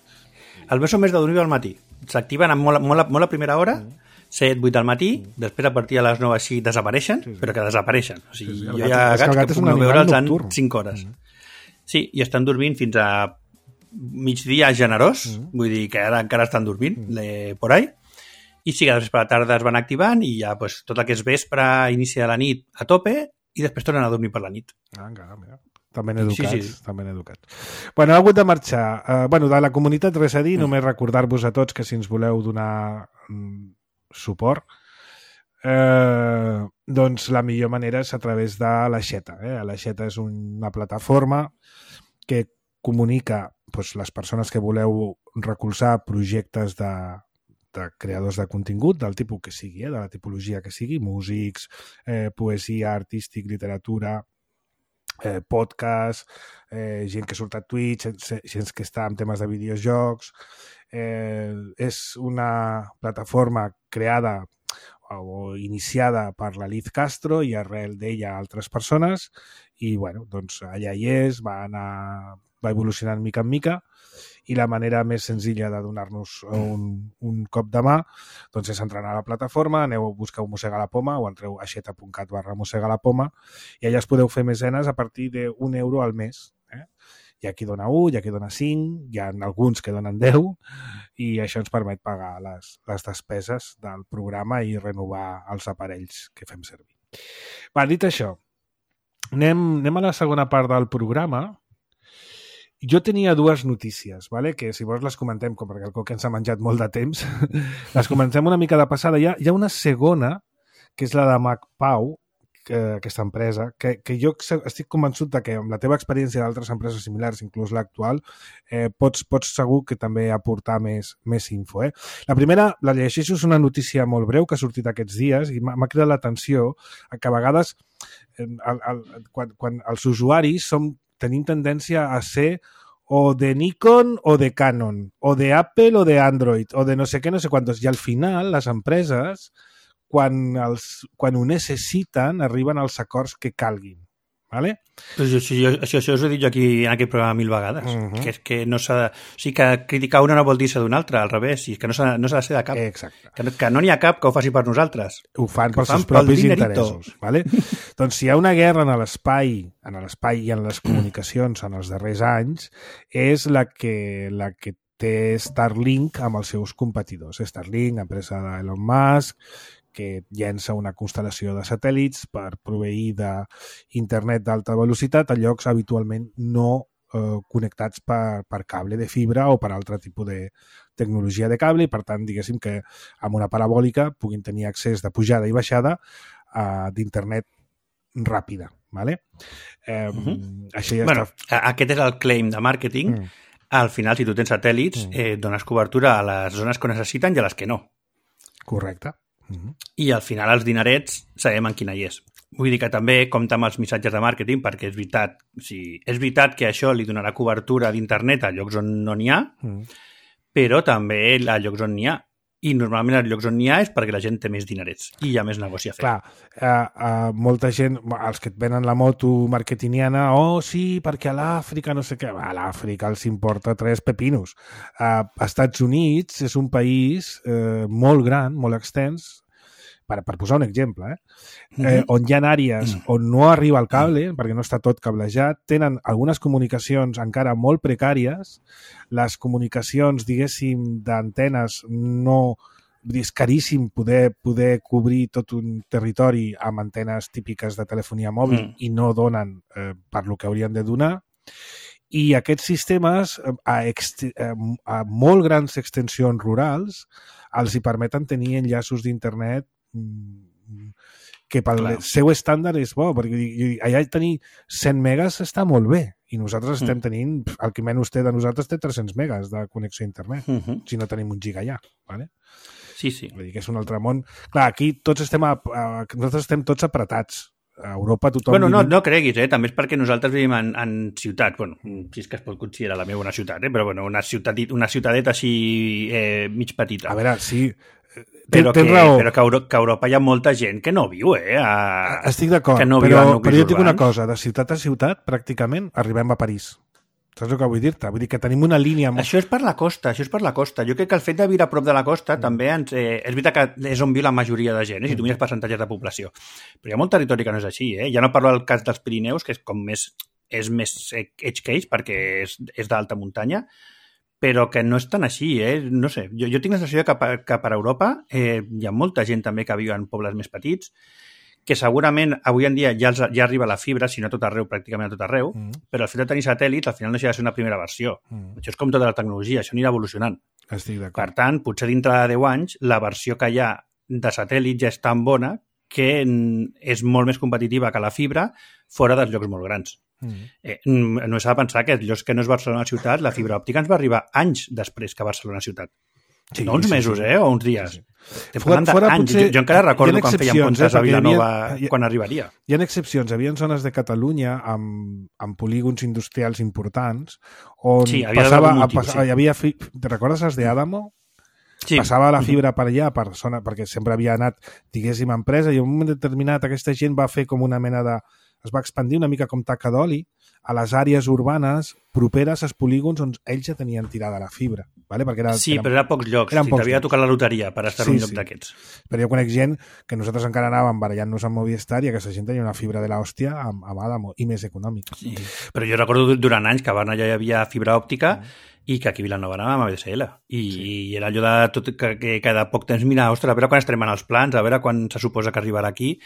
El meu són més de dormir al matí. S'activen molt a primera hora, 7, 8 del matí, després a partir de les 9 així desapareixen, però que desapareixen. O sigui, jo hi ha gats que puc no veure'ls en 5 hores. Sí, i estan dormint fins a migdia generós, vull dir que ara encara estan dormint por ahí, i sí que després per la tarda es van activant i ja pues, tot el que és vespre, inici de la nit a tope i després tornen a dormir per la nit. Encara, mira. També ben educats, també ben educats. Bueno, ha hagut de marxar. De la comunitat res a dir, només recordar-vos a tots que si ens voleu donar suport, doncs la millor manera és a través de l'Aixeta. L'Aixeta és una plataforma que comunica les persones que voleu recolzar projectes de creadors de contingut, del tipus que sigui, de la tipologia que sigui, músics, poesia, artístic, literatura, podcast, gent que surt a Twitch, gent que està en temes de videojocs. És una plataforma creada o iniciada per la Liz Castro i arrel d'ella altres persones i doncs allà hi és, va evolucionant mica en mica i la manera més senzilla de donar-nos un cop de mà doncs és entrar a la plataforma, aneu a buscar Mossega la Poma o entreu a aixeta.cat/mossegalapoma i allà es podeu fer mecenes a partir d'1 € al mes. Hi ha qui dona 1, hi ha qui dona 5, hi ha alguns que donen 10 i això ens permet pagar les despeses del programa i renovar els aparells que fem servir. Dit això, anem a la segona part del programa. Jo tenia dues notícies, que si vols les comentem, perquè el Coque ens ha menjat molt de temps, les comentem una mica de passada. Hi ha una segona, que és la de MacPau, aquesta empresa, que jo estic convençut que amb la teva experiència d'altres empreses similars, inclús l'actual, pots segur que també aportar més info. La primera, la llegeixo, és una notícia molt breu que ha sortit aquests dies i m'ha cridat l'atenció que a vegades quan els usuaris tenim tendència a ser o de Nikon o de Canon, o de Apple o de Android, o de no sé què, no sé quantos. I al final, les empreses, quan ho necessiten, arriben als acords que calguin. Vale? Això us ho he dit jo aquí en aquest programa 1000 vegades, que és que no s'ha de... O sigui, que criticar una no vol dir ser d'una altra, al revés, i que no s'ha de ser de cap. Exacte. Que no n'hi ha cap que ho faci per nosaltres. Ho fan pels seus propis interessos. Vale? Doncs si hi ha una guerra en l'espai i en les comunicacions en els darrers anys, és la que té Starlink amb els seus competidors. Starlink, empresa d'Elon Musk, que llença una constel·lació de satèl·lits per proveir d'internet d'alta velocitat a llocs habitualment no connectats per cable de fibra o per altre tipus de tecnologia de cable i, per tant, diguéssim que amb una parabòlica puguin tenir accés de pujada i baixada d'internet ràpida. ¿Vale? Això ja està... Aquest és el claim de màrqueting. Al final, si tu tens satèl·lits, dones cobertura a les zones que necessiten i a les que no. Correcte. I al final els dinerets sabem en quina hi és. Vull dir que també compta amb els missatges de màrqueting perquè és veritat que això li donarà cobertura d'internet a llocs on no n'hi ha, però també a llocs on n'hi ha. I normalment als llocs on n'hi ha és perquè la gent té més dinerets i hi ha més negoci a fer. Clar, molta gent, els que et venen la moto marketingiana, sí, perquè a l'Àfrica no sé què, a l'Àfrica els importa 3 pepinos. Estats Units és un país molt gran, molt extens, per posar un exemple, on hi ha àrees on no arriba el cable, perquè no està tot cablejat, tenen algunes comunicacions encara molt precàries, les comunicacions, diguéssim, d'antenes no... És caríssim poder cobrir tot un territori amb antenes típiques de telefonia mòbil i no donen per lo que haurien de donar. I aquests sistemes, a molt grans extensions rurals, els hi permeten tenir enllaços d'internet que pel seu estàndard és bo, perquè allà tenir 100 megas està molt bé i nosaltres estem tenint, el que menys té de nosaltres té 300 megas de connexió a internet, si no tenim un giga allà, ¿vale? Sí. Vull dir que és un altre món. Clar, aquí nosaltres estem tots apretats. A Europa tothom... Bueno, no creguis, també és perquè nosaltres vivim en ciutats, bueno, si és que es pot considerar la meva una ciutat, però bueno, una ciutadeta així mig petita. A veure, sí... Però que a Europa hi ha molta gent que no viu, Estic d'acord, no però jo et dic una cosa, de ciutat a ciutat, pràcticament, arribem a París. Saps el que vull dir-te? Vull dir que tenim una línia... Això és per la costa. Jo crec que el fet de viure a prop de la costa també és veritat que és on viu la majoria de gent, si tu mires percentatges de població. Però hi ha molt territori que no és així, Ja no parlo del cas dels Pirineus, que és més edge case, perquè és d'alta muntanya, però que no és tan així, No sé, jo tinc la sensació que per Europa hi ha molta gent també que viu en pobles més petits, que segurament avui en dia ja arriba la fibra, si no a tot arreu, pràcticament a tot arreu, però el fet de tenir satèl·lits al final no deixa de ser una primera versió. Això és com tota la tecnologia, això anirà evolucionant. Estic d'acord. Per tant, potser dintre de 10 anys, la versió que hi ha de satèl·lits ja és tan bona que és molt més competitiva que la fibra fora dels llocs molt grans. No s'ha de pensar que els llocs que no és Barcelona ciutat, la fibra òptica ens va arribar anys després que Barcelona ciutat. Sí, no uns mesos, o uns dies. Jo encara recordo quan fèiem comptes a Vilanova quan arribaria. Hi ha excepcions. Hi havia zones de Catalunya amb polígons industrials importants on hi havia... Te recordes els d'Adamo? Sí. Passava la fibra per allà, perquè sempre havia anat, diguéssim, empresa, i en un moment determinat aquesta gent va fer com una mena de... Es va expandir una mica com taca d'oli a les àrees urbanes properes als polígons on ells ja tenien tirada la fibra. ¿Vale? Però era a pocs llocs. T'havia de tocar la loteria per estar en un lloc d'aquests. Però jo conec gent que nosaltres encara anàvem barallant-nos amb Movistar i aquesta gent tenia una fibra de l'hòstia amb Adamo i més econòmica. Sí. Però jo recordo durant anys que a Barna ja hi havia fibra òptica i que aquí a Vilanova anàvem amb ADSL. I era allò de tot que cada poc temps mirar, ostres, a veure quan estarem en els plans, a veure quan se suposa que arribarà aquí.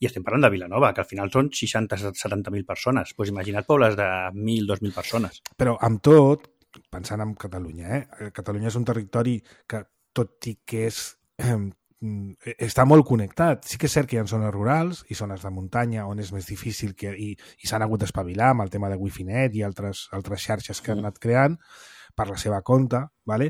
I estem parlant de Vilanova, que al final són 60-70.000 persones. Doncs imagina't pobles de 1.000, 2.000 persones. Però amb tot, pensant en Catalunya, Catalunya és un territori que, tot i que està molt connectat, sí que és cert que hi ha zones rurals i zones de muntanya on és més difícil i s'han hagut d'espavilar amb el tema de Wi-Fi-Net i altres xarxes que han anat creant per la seva compte, ¿vale?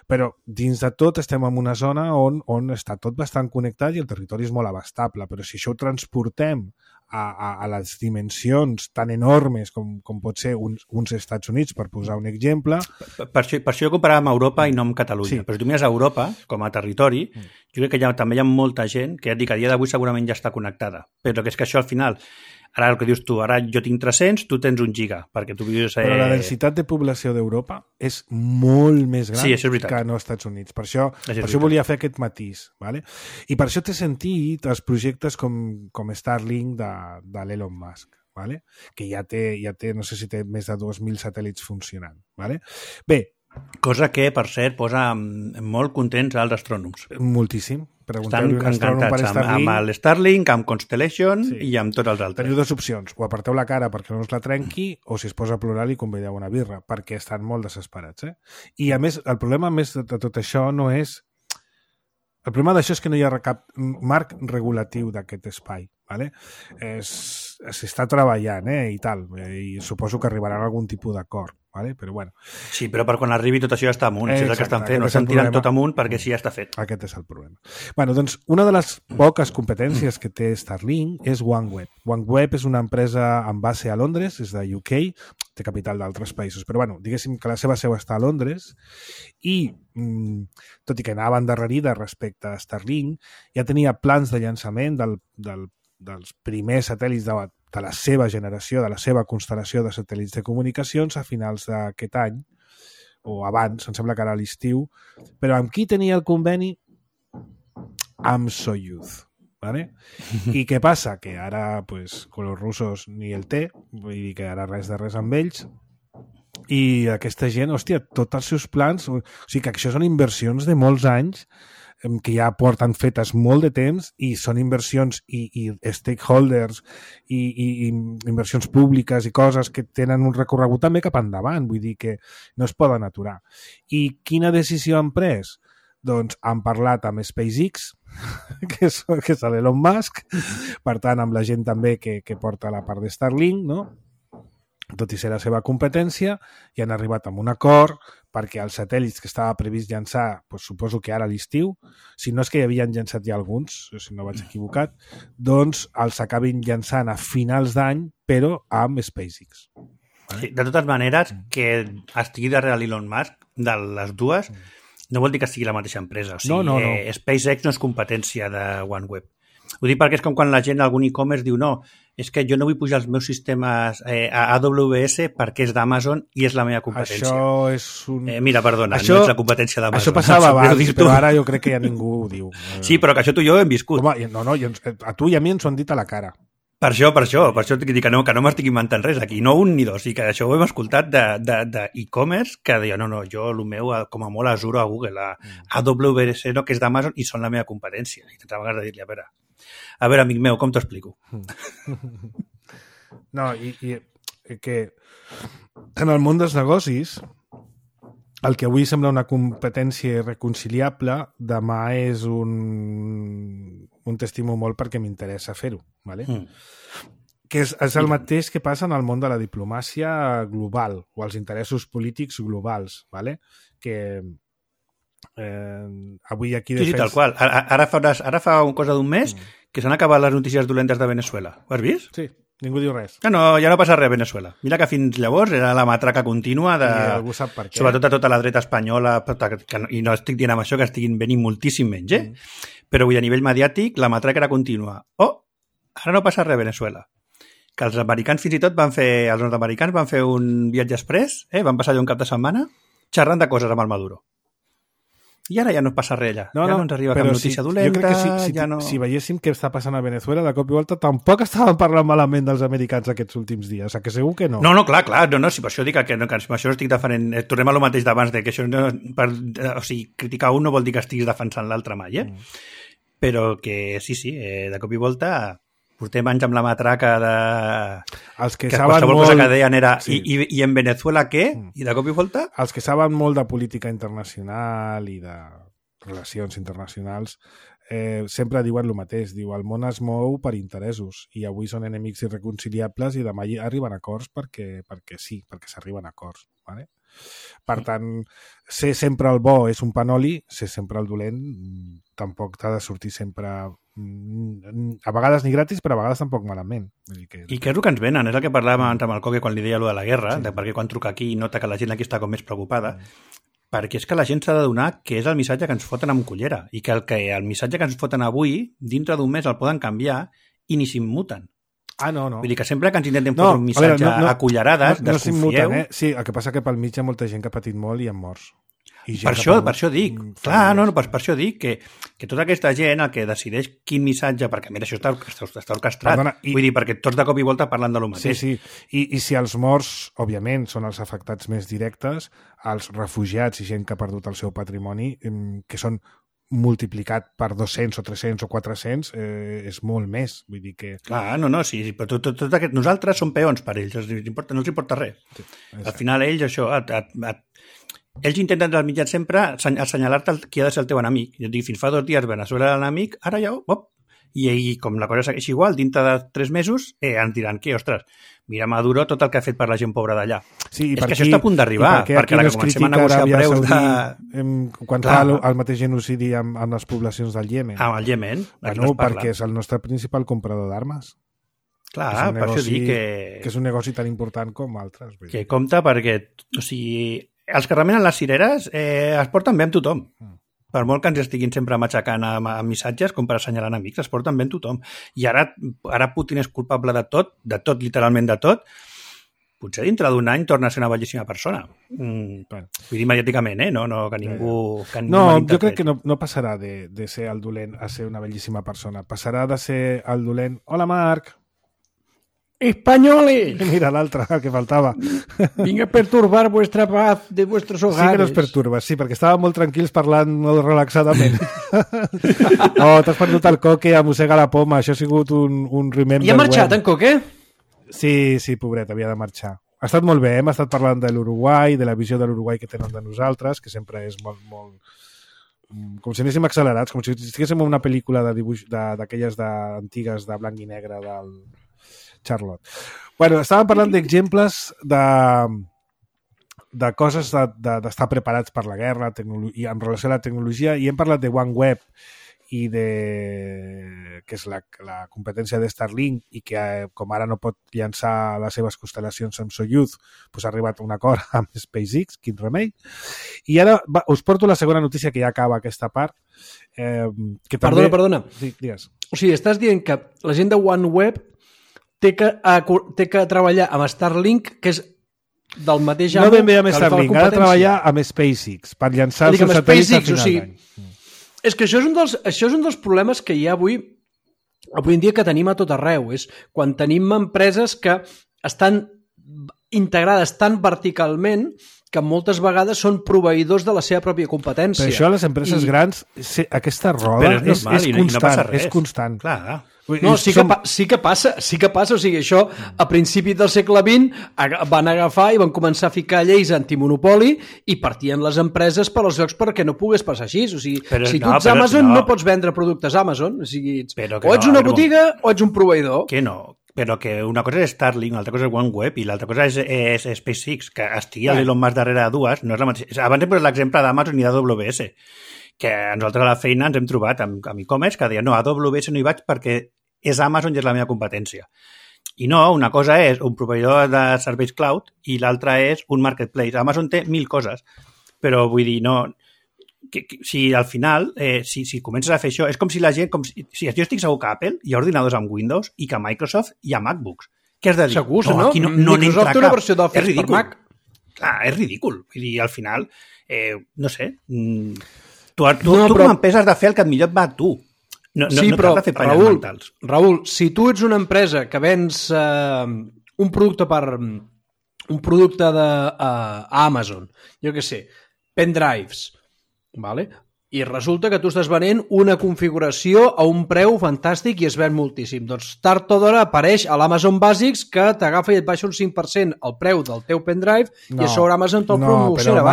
Però dins de tot estem en una zona on està tot bastant connectat i el territori és molt abastable, però si això ho transportem a les dimensions tan enormes com pot ser uns Estats Units, per posar un exemple... Per això jo comparava amb Europa i no amb Catalunya. Sí. Però si tu mires a Europa, com a territori, jo crec que també hi ha molta gent que ja et dic, a dia d'avui segurament ja està connectada. Però que és que això al final... Ara el que dius tu, ara jo tinc 300, tu tens 1 giga, perquè tu vius... Però la densitat de població d'Europa és molt més gran que no als Estats Units. Per això volia fer aquest matís. ¿Vale? I per això té sentit els projectes com Starlink de l'Elon Musk. ¿Vale? Que ja té, no sé si té més de 2.000 satèl·lits funcionant. ¿Vale? Bé, cosa que, per cert, posa molt contents als astrònoms. Moltíssim, Pregunteu-li Estan encantats amb el Starlink, amb Constellation i amb tots els altres. Teniu dues opcions, o aparteu la cara perquè no us la trenqui, o si es posa a plorar li convideu una birra, perquè estan molt desesperats. I a més, el problema més de tot això no és... El problema d'això és que no hi ha cap marc regulatiu d'aquest espai. Vale? S'està treballant i tal, i suposo que arribarà a algun tipus d'acord. Vale? Però bueno. Sí, però per quan arribi tot això ja està amunt. Si és el que estan fent, no estan tirant tot amunt perquè sí ja està fet. Aquest és el problema. Bueno, doncs, una de les poques competències que té Starlink és OneWeb. OneWeb és una empresa amb base a Londres, és de UK, té capital d'altres països, però bueno, diguéssim que la seva seu està a Londres i, tot i que anava endarrerida respecte a Starlink, ja tenia plans de llançament dels primers satèl·lits de la seva generació, de la seva constel·lació de satèl·lits de comunicacions a finals d'aquest any, o abans, em sembla que era a l'estiu, però amb qui tenia el conveni? Amb Soyuz. ¿Vale? I què passa? Que ara, pues, con los russos ni el té, vull dir que ara res de res amb ells, i aquesta gent, hòstia, tots els seus plans, o sigui que això són inversions de molts anys, que ja porten fetes molt de temps i són inversions i stakeholders i inversions públiques i coses que tenen un recorregut també cap endavant, vull dir que no es poden aturar. I quina decisió han pres? Doncs han parlat amb SpaceX, que és l'Elon Musk, per tant amb la gent també que porta la part de Starlink, no? Tot i ser la seva competència, i han arribat amb un acord perquè els satèl·lits que estava previst llançar, doncs suposo que ara a l'estiu, si no és que hi havien llançat ja alguns, si no vaig equivocat, doncs els acabin llançant a finals d'any, però amb SpaceX. Sí, de totes maneres, que estigui darrere l'Elon Musk, de les dues, no vol dir que sigui la mateixa empresa. O sigui, no. SpaceX no és competència de OneWeb. Ho dic perquè és com quan la gent, algun e-commerce, diu no, és que jo no vull pujar els meus sistemes a AWS perquè és d'Amazon i és la meva competència. Això és un... Mira, perdona, no és la competència d'Amazon. Això passava abans, però ara jo crec que ja ningú ho diu. Sí, però que això tu i jo hem viscut. Home, no, a tu i a mi ens ho han dit a la cara. Per això dic que no m'estic inventant res aquí, no un ni dos, i que això ho hem escoltat d'e-commerce que deia, no, jo el meu com a molt Azure a Google, a AWS no, que és d'Amazon i són la meva competència. I t'entava ganes de dir-li, a veure, amic meu, com t'ho explico? No, i que en el món dels negocis el que avui sembla una competència irreconciliable, demà és un t'estimo molt perquè m'interessa fer-ho, ¿vale? Que és el mateix que passa en el món de la diplomàcia global o els interessos polítics globals, ¿vale? Que avui aquí... Sí, tal qual. Ara fa una cosa d'un mes que s'han acabat les notícies dolentes de Venezuela. Ho has vist? Sí, ningú diu res. No, ja no passa res a Venezuela. Mira que fins llavors era la matraca contínua de... I algú sap per què. Sobretot a tota la dreta espanyola, i no estic dient amb això que estiguin venint moltíssim menys, però avui a nivell mediàtic la matraca era contínua. Ara no passa res a Venezuela. Que els americans fins i tot els nord-americans van fer un viatge express, van passar allà un cap de setmana xerrant de coses amb el Maduro. I ara ja no passa res allà. Ja no ens arriba cap notícia dolenta. Jo crec que si veiéssim què està passant a Venezuela, de cop i volta tampoc estàvem parlant malament dels americans aquests últims dies. O sigui, que segur que no. No, clar. No, si per això dic que això no estic defendent... Tornem a lo mateix d'abans, que això o sigui, criticar un no vol dir que estiguis defensant l'altre mai, Però que sí, de cop i volta... Portem anys amb la matraca de... Els que saben qualsevol cosa que deien era i en Venezuela què? I de cop i volta? Els que saben molt de política internacional i de relacions internacionals sempre diuen el mateix. Diu, el món es mou per interessos i avui són enemics irreconciliables i demà arriben a acords perquè s'arriben a acords. ¿Vale? Per tant, ser sempre el bo és un panoli, ser sempre el dolent tampoc t'ha de sortir sempre a vegades ni gratis, però a vegades tampoc malament. I què és el que ens venen? És el que parlàvem abans amb el Coque quan li deia allò de la guerra, de perquè quan truca aquí i nota que la gent aquí està com més preocupada, perquè és que la gent s'ha de donar que és el missatge que ens foten amb cullera i que el missatge que ens foten avui, dintre d'un mes el poden canviar i ni s'immuten. No. Vull dir que sempre que ens intentem fotre un missatge a cullerades, desconfieu... Sí, el que passa que pel mig hi ha molta gent que ha patit molt i han morts. Per això dic, per això dic que tota aquesta gent el que decideix quin missatge, perquè mira, això està orquestrat, vull dir, perquè tots de cop i volta parlen de lo mateix. Sí. I si els morts, òbviament, són els afectats més directes, els refugiats i gent que ha perdut el seu patrimoni, que són multiplicat per 200 o 300 o 400 és molt més. Vull dir que... Clar, sí, però tot aquest... Nosaltres som peons per ells, no els importa res. Sí, al final ells, això... Ells intenten dels mitjans sempre assenyalar-te qui ha de ser el teu enemic. Jo et dic, fins fa 2 dies Veneçuela era l'enemic, ara ja... I com la cosa segueix igual, dintre de 3 mesos, ens diran que, ostres, mira Maduro tot el que ha fet per la gent pobra d'allà. Sí, és que això està a punt d'arribar, perquè la que comencem a negociar preus quan fa el mateix genocidi amb les poblacions del Iemen. Amb el Iemen. Perquè és el nostre principal comprador d'armes. Clar, per això dic que és un negoci tan important com altres. Que compta perquè, o sigui, els que remenen les cireres es porten bé amb tothom. Per molt que ens estiguin sempre matxacant amb missatges com per assenyalar enemics, es porten bé amb tothom. I ara Putin és culpable de tot, literalment de tot. Potser dintre d'un any torna a ser una bellíssima persona. Vull dir mediàticament, no que ningú jo crec que no passarà de ser el dolent a ser una bellíssima persona. Passarà de ser el dolent... Hola, Marc! ¡Españoles! Mira l'altre, que faltava. Vinc a perturbar vuestra paz de vuestros hogares. Sí que nos perturbes, sí, perquè estàvem molt tranquils parlant molt relaxadament. T'has perdut el Coque, mossega la poma, això ha sigut un remember. I ha marxat en Coque? Sí, pobret, havia de marxar. Ha estat molt bé, hem estat parlant de l'Uruguai, de la visió de l'Uruguai que tenen de nosaltres, que sempre és molt com si anéssim accelerats, com si estiguéssim en una pel·lícula de dibuix d'aquelles antigues de blanc i negre del Charlotte. Bueno, estàvem parlant d'exemples de coses d'estar preparats per la guerra i en relació a la tecnologia, i hem parlat de OneWeb i que és la competència de Starlink, i que com ara no pot llançar les seves constel·lacions amb Soyuz, doncs ha arribat a un acord amb SpaceX, quin remei. I ara us porto la segona notícia, que ja acaba aquesta part. Que també... Perdona. Sí, digues. O sigui, estàs dient que la gent de OneWeb té que treballar amb Starlink, que és del mateix amo... No ben bé amb Starlink, ha de treballar amb SpaceX per llançar els seus satèl·lits a final d'any. És que això és un dels problemes que hi ha avui en dia que tenim a tot arreu. És quan tenim empreses que estan integrades tan verticalment que moltes vegades són proveïdors de la seva pròpia competència. Per això a les empreses grans aquesta roda és constant. Clar. No, sí que passa. O sigui, això a principi del segle XX van agafar i van començar a ficar lleis antimonopoli i partien les empreses per als llocs perquè no pogués passar així. O sigui, si tu ets Amazon no pots vendre productes Amazon. O sigui, o ets una botiga o ets un proveïdor. Que no. Però que una cosa és Starlink, l'altra cosa és OneWeb i l'altra cosa és SpaceX, que estigui l'Elon Musk darrere de dues, no és la mateixa. Abans hem posat l'exemple d'Amazon i d'AWS, que nosaltres a la feina ens hem trobat amb e-commerce que deien, no, a AWS no hi vaig perquè és Amazon i és la meva competència. I no, una cosa és un proveïdor de serveis cloud i l'altra és un marketplace. Amazon té 1000 coses, però vull dir, no... si al final, si comences a fer això, és com si la gent... si jo estic segur que Apple hi ha ordinadors amb Windows i que Microsoft hi ha MacBooks. Què has de dir? Segur, no? Aquí no Microsoft té una versió d'Office per Mac. Clar, és ridícul. Vull dir, al final, no sé... Tu com a empresa has de fer el que millor et va a tu. No t'has de fer palles mentals. Raül, si tu ets una empresa que vens un producte a Amazon, jo què sé, pendrives, vale? I resulta que tu estàs venent una configuració a un preu fantàstic i es ven moltíssim. Doncs tard o d'hora apareix a l'Amazon Basics que t'agafa i et baixa un 5% el preu del teu pendrive i a sobre Amazon te'l promociona.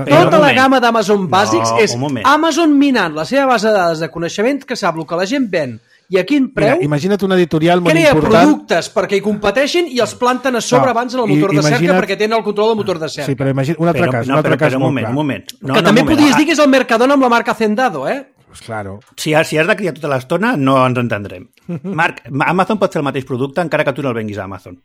Tota la gamma d'Amazon Basics és Amazon minant la seva base de dades de coneixement que sap el que la gent ven i a quin preu. Mira, imagina't un editorial molt crea important. Productes perquè hi competeixin i els planten a sobre abans en el motor de cerca perquè tenen el control del motor de cerca. Sí, però imagina't un altre cas. Un moment. Que també podries dir que és el Mercadona amb la marca Hacendado, Pues claro. Si has de criar tota l'estona, no ens entendrem. Marc, Amazon pot fer el mateix producte encara que tu no el venguis a Amazon.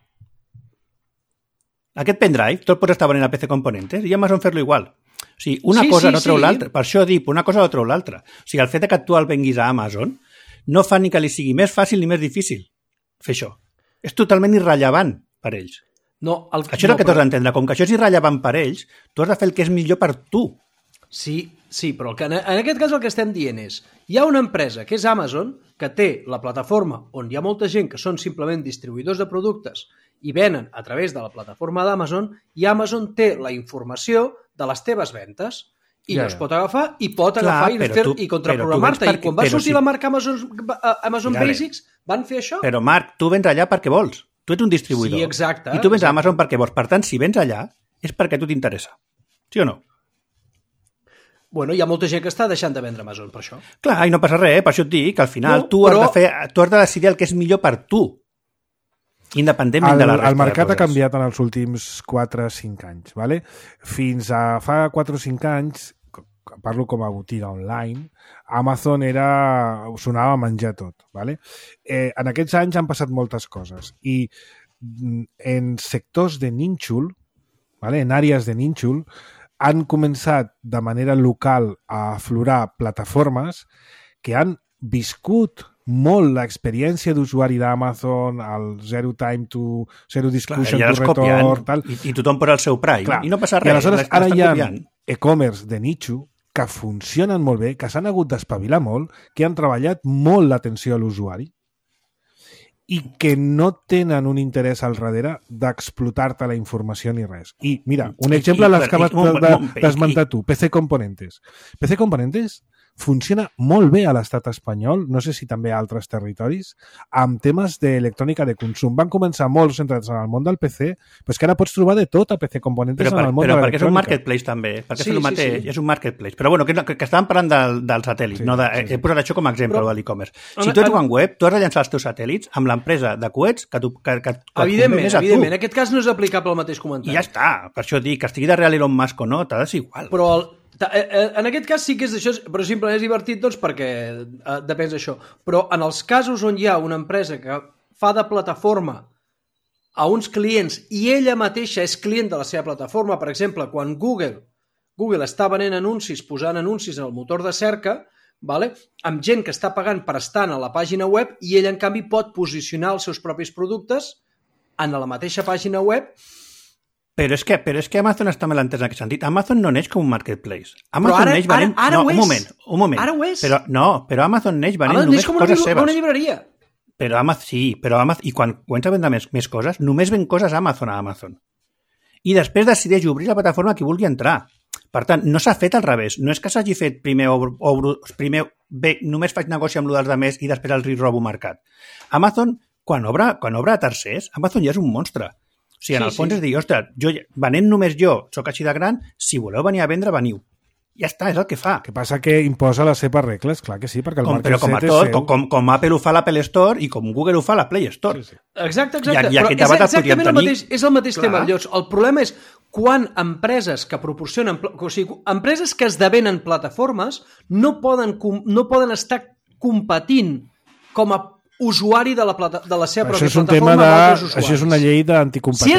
Aquest pendrive, tot pots estar venent a PC Componentes i Amazon fer-lo igual. O sigui, una cosa no treu l'altra. Per això dic, una cosa no treu l'altra. O sigui, el fet que tu el venguis a Amazon no fa ni que li sigui més fàcil ni més difícil fer això. És totalment irrellevant per ells. Això és el que t'has d'entendre. Com que això és irrellevant per ells, tu has de fer el que és millor per tu. Sí, però en aquest cas el que estem dient és hi ha una empresa que és Amazon que té la plataforma on hi ha molta gent que són simplement distribuïdors de productes i venen a través de la plataforma d'Amazon i Amazon té la informació de les teves ventes i no es pot agafar, i pot agafar i contraprogramar-te. I quan va sortir la marca Amazon Basics, van fer això. Però, Marc, tu vens allà perquè vols. Tu ets un distribuïdor. Sí, exacte. I tu vens a Amazon perquè vols. Per tant, si vens allà, és perquè a tu t'interessa. Sí o no? Bueno, hi ha molta gent que està deixant de vendre Amazon per això. Clar, i no passa res, per això et dic que al final tu has de decidir el que és millor per tu, independentment de la resta. El mercat ha canviat en els últims 4 o 5 anys. ¿vale? Fins a fa 4 o 5 anys, parlo com a botiga online, Amazon sonava a menjar tot. ¿vale? En aquests anys han passat moltes coses i en sectors de nínxol, ¿vale? En àrees de nínxol, han començat de manera local a aflorar plataformes que han viscut molt l'experiència d'usuari d'Amazon, el zero discussion to return, tal. I tothom posa el seu Prime. Clar. I no passa res. I aleshores ara hi ha e-commerce de nicho que funcionen molt bé, que s'han hagut d'espavilar molt, que han treballat molt l'atenció a l'usuari i que no tenen un interès al darrere d'explotar-te la informació ni res. I, mira, un exemple l'has acabat d'esmentar tu, PC Componentes. PC Componentes funciona molt bé a l'estat espanyol, no sé si també a altres territoris, amb temes d'electrònica de consum. Van començar molt centrats en el món del PC, però és que ara pots trobar de tot a PC Componentes en el món de l'electrònica. Però perquè és un marketplace també, perquè és el mateix, és un marketplace. Però bueno, que estàvem parlant del satèl·lit, he posat això com a exemple de l'e-commerce. Si tu ets OneWeb, tu has de llançar els teus satèl·lits amb l'empresa de coets que evidentment, en aquest cas no és aplicable el mateix comentari. I ja està, per això dic, que estigui darrere Elon Musk o no, t'ha de ser igual. Però en aquest cas sí que és això, però simplement és divertit doncs perquè depèn d'això. Però en els casos on hi ha una empresa que fa de plataforma a uns clients i ella mateixa és client de la seva plataforma, per exemple, quan Google està venent anuncis, posant anuncis en el motor de cerca, vale? Amb gent que està pagant per estar a la pàgina web i ella en canvi pot posicionar els seus propis productes en la mateixa pàgina web. Però és que Amazon està mal entès en aquest sentit. Amazon no neix com un marketplace. Amazon neix venent... Ara ho és. Un moment. Ara ho és. Però Amazon neix venent només coses seves. Com una llibreria. Però Amazon, i quan comença a vendre més coses, només ven coses a Amazon. I després decideix obrir la plataforma que vulgui entrar. Per tant, no s'ha fet al revés. No és que s'hagi fet primer només faig negoci amb els altres i després el robo mercat. Amazon, quan obre a tercers, Amazon ja és un monstre. O sigui, en el fons és dir, ostres, venent només jo, sóc així de gran, si voleu venir a vendre, veniu. Ja està, és el que fa. El que passa que imposa les seves regles, clar que sí, perquè el market set és seu. Com Apple ho fa a l'Apple Store i com Google ho fa a la Play Store. Sí. Exacte. I aquest debat el podríem tenir. És el mateix tema. Llavors, el problema és quan empreses que proporcionen... O sigui, empreses que esdevenen plataformes no poden estar competint com a usuari de la seva pròpia plataforma amb altres usuaris. Això és una llei d'anticompetència.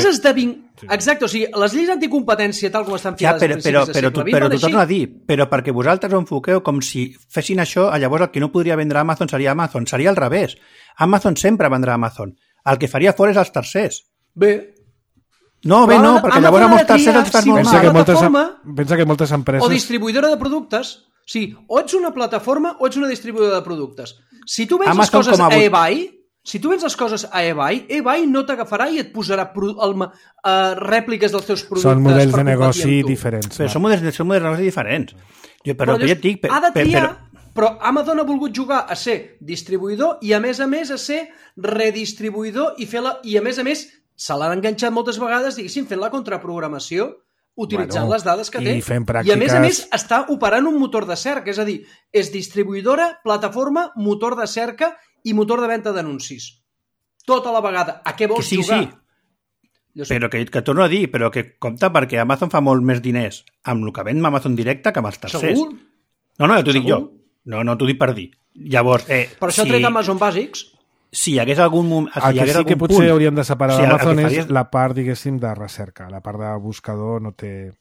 Exacte, o sigui, les lleis d'anticompetència tal com estan fiades però t'ho torno a dir, però perquè vosaltres ho enfoqueu com si fessin això, llavors el que no podria vendre Amazon seria al revés. Amazon sempre vendrà Amazon. El que faria fora és els tercers. No, perquè llavors amb els tercers els fas normal. Pensa que moltes empreses... O distribuïdora de productes. Sí, o ets una plataforma o ets una distribuïdora de productes. Si tu vens les coses a eBay, eBay no t'agafarà i et posarà rèpliques dels teus productes. Són models de negoci diferents. Però són models de negoci diferents. Però ja et dic... Ha de triar, però Amazon ha volgut jugar a ser distribuïdor i a més a ser redistribuïdor i a més se l'han enganxat moltes vegades, diguéssim, fent la contraprogramació utilitzant les dades que té. I a més està operant un motor de cerca, és a dir, és distribuïdora, plataforma, motor de cerca i motor de venda d'anuncis. Tota la vegada. A què vols jugar? Sí. Però que torno a dir, però que compta perquè Amazon fa molt més diners amb el que ven Amazon directe que amb els tercers. Segur? No, ja t'ho dic jo. No, t'ho dic per dir. Llavors, per això ha tret Amazon Bàsics. Si hi hagués algun moment... El que sí que potser hauríem de separar d'Amazon és la part, diguéssim, de recerca. La part de buscador no té...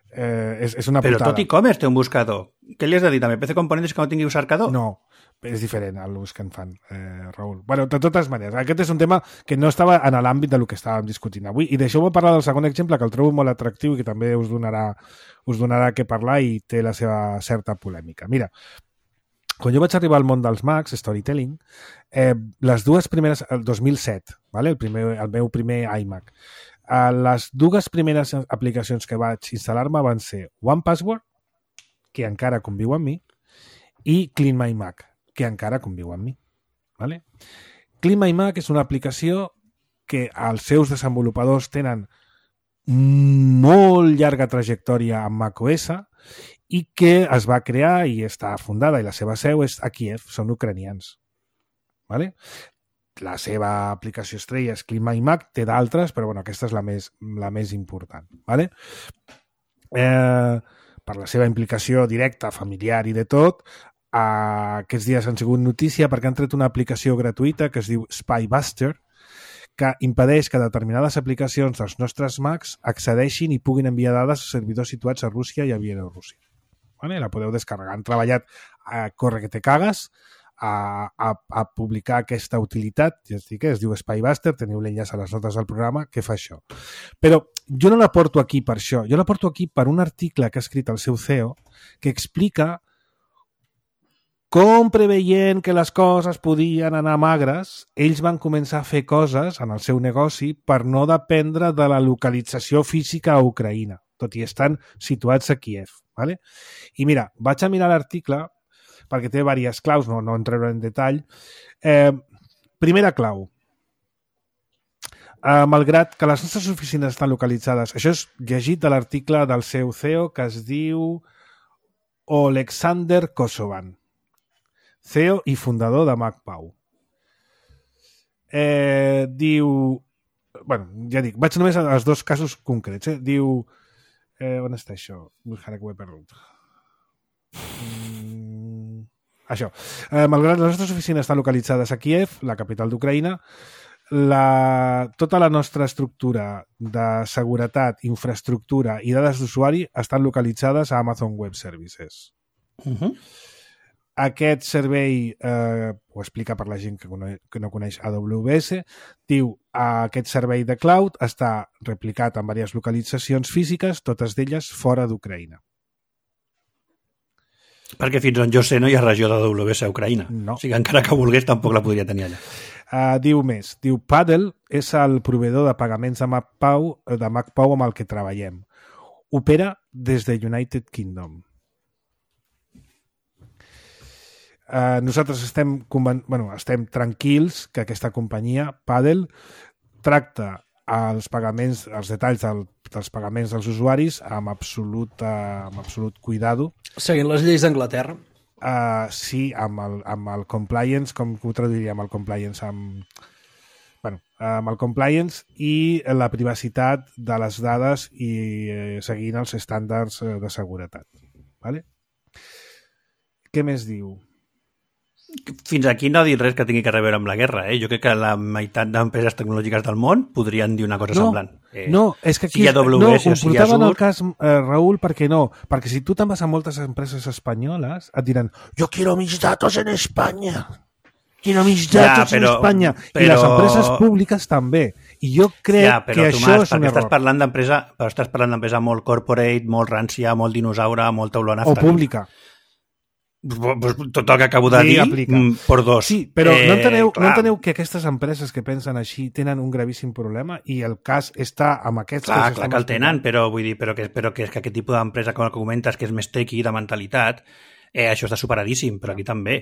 És una putada. Però tot e-commerce té un buscador. Què li has de dir també? PC Componentes que no tingui un cercador? No, és diferent el ús que en fan, Raül. Bueno, de totes maneres, aquest és un tema que no estava en l'àmbit del que estàvem discutint avui. I deixeu-me parlar del segon exemple, que el trobo molt atractiu i que també us donarà què parlar i té la seva certa polèmica. Mira, quan jo vaig arribar al món dels Macs, Storytelling, les dues primeres, el 2007, vale? El meu primer iMac, les dues primeres aplicacions que vaig instal·lar-me van ser OnePassword que encara conviu amb mi, i Clean My Mac, que encara conviu amb mi. Vale? Clean My Mac és una aplicació que els seus desenvolupadors tenen molt llarga trajectòria amb macOS i que es va crear i està fundada, i la seva seu és a Kíev, són ucranians. Vale? La seva aplicació estrella és Clean My Mac, té d'altres, però bueno, aquesta és la més important. Vale? Per la seva implicació directa, familiar i de tot, aquests dies han sigut notícia perquè han tret una aplicació gratuïta que es diu Spybuster, que impedeix que determinades aplicacions dels nostres Macs accedeixin i puguin enviar dades a servidors situats a Rússia i a Bielorússia. Vale? La podeu descarregar. Han treballat a Corre que te cagues a publicar aquesta utilitat, ja estic, es diu Spybuster, teniu l'enllaç a les notes del programa, que fa això. Però jo no la porto aquí per això, jo la porto aquí per un article que ha escrit el seu CEO que explica com, preveient que les coses podien anar magres, ells van començar a fer coses en el seu negoci per no dependre de la localització física a Ucraïna, tot i estan situats a Kíev. Vale? I mira, vaig a mirar l'article perquè té diverses claus, no entreuré en detall. Primera clau. Malgrat que les nostres oficines estan localitzades, això és llegit de l'article del seu CEO que es diu Oleksandr Kosovan, CEO i fundador de MacPau. Diu... Bueno, ja dic, vaig només als dos casos concrets. Diu... on està això? Ara que ho he perdut. Això. Malgrat les nostres oficines estan localitzades a Kíev, la capital d'Ucraïna, tota la nostra estructura de seguretat, infraestructura i dades d'usuari estan localitzades a Amazon Web Services. Aquest servei, ho explica per la gent que no coneix AWS, diu aquest servei de cloud està replicat en diverses localitzacions físiques, totes d'elles fora d'Ucraïna. Perquè fins on jo sé no hi ha regió d'AWS a Ucraïna. No. O sigui, encara que volgués tampoc la podria tenir allà. Diu més. Diu, Paddle és el proveïdor de pagaments de MacPau amb el que treballem. Opera des de United Kingdom. Nosaltres estem tranquils que aquesta companyia, Paddle, tracta els detalls dels pagaments dels usuaris amb absolut cuidado. Seguint les lleis d'Anglaterra. Sí, amb el compliance, com ho traduiríem el compliance? Amb el compliance i la privacitat de les dades i seguint els estàndards de seguretat. Vale? Què més diu? Fins aquí no ha dit res que tingui que reveure amb la guerra. Jo crec que la meitat d'empreses tecnològiques del món podrien dir una cosa semblant. No, és que aquí si AWS, ho portaven al cas, Raül, perquè no. Perquè si tu te'n vas a moltes empreses espanyoles, et diran, yo quiero mis datos en España. Quiero mis datos en España. I les empreses públiques també. I jo crec que això és un error. Estàs parlant d'empresa molt corporate, molt rància, molt dinosaure, molta olor a nafta. O pública. Tot el que acabo de dir, per dos. Sí, però no enteneu que aquestes empreses que pensen així tenen un gravíssim problema i el cas està amb aquests... Clar que el tenen, però vull dir però que aquest tipus d'empresa, com el que comentes, que és més tequi de mentalitat, això està superadíssim, però aquí també.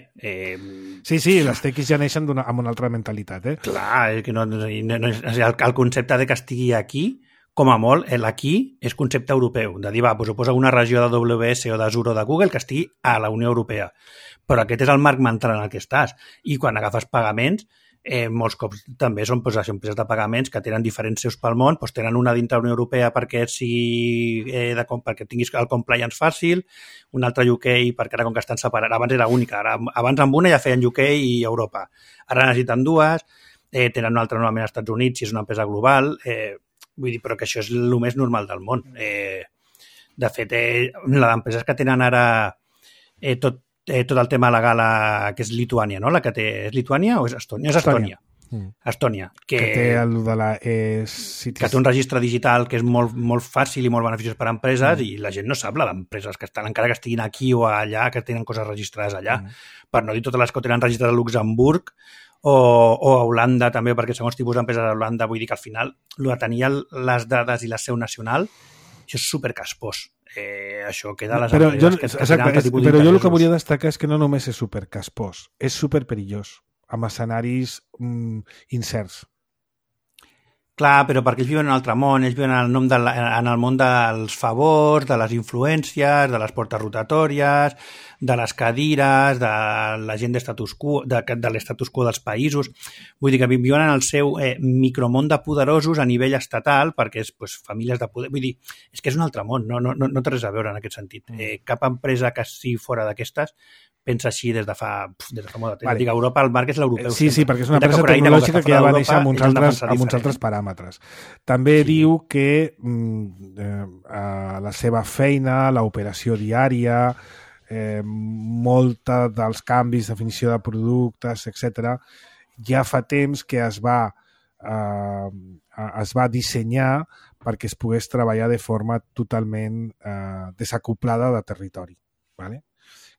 Sí, les tequis ja neixen amb una altra mentalitat. Clar, és que el concepte de que estigui aquí, com a molt, l'aquí és concepte europeu, de dir, doncs ho posa una regió d'AWS o d'Azure o de Google que estigui a la Unió Europea. Però aquest és el marc mental en el que estàs. I quan agafes pagaments, molts cops també són empreses de pagaments que tenen diferents seus pel món, tenen una dintre la Unió Europea perquè tinguis el compliance fàcil, una altra UK perquè ara com que estan separats, abans era única, abans amb una ja feien UK i Europa. Ara necessiten dues, tenen una altra normalment als Estats Units si és una empresa global, vull dir, però que això és el més normal del món. De fet, la d'empreses que tenen ara tot el tema legal que és Lituània, no? La que té... És Lituània o és Estònia? És Estònia. Estònia. Que té el de la... que té un registre digital que és molt, molt fàcil i molt beneficiós per a empreses i la gent no sap la d'empreses que estan, encara que estiguin aquí o allà, que tenen coses registrades allà. Per no dir totes les que tenen registrades a Luxemburg o a Holanda també, perquè segons tipus d'empreses a Holanda, vull dir que al final el de tenir les dades i la seu nacional, això és supercaspós. això queda a les empreses que tenen altre tipus d'interessos. Però jo el que volia destacar és que no només és supercaspós, és superperillós, amb escenaris incerts. Clar, però perquè ells viuen en un altre món, ells viuen en el món dels favors, de les influències, de les portes rotatòries, de les cadires, de la gent d'estatus quo, de l'estatus quo dels països. Vull dir que viuen en el seu micromón de poderosos a nivell estatal, perquè és famílies de poder. Vull dir, és que és un altre món, no té res a veure en aquest sentit. Cap empresa que sigui fora d'aquestes pensa així des de fa molt de temps. Vale. Dic, Europa, el marc és l'europeu. Sí, perquè és una empresa tecnològica que ja va néixer amb uns altres paràmetres. També diu que la seva feina, l'operació diària, molta dels canvis, definició de productes, etc., ja fa temps que es va dissenyar perquè es pogués treballar de forma totalment desacoplada de territori. ¿Vale?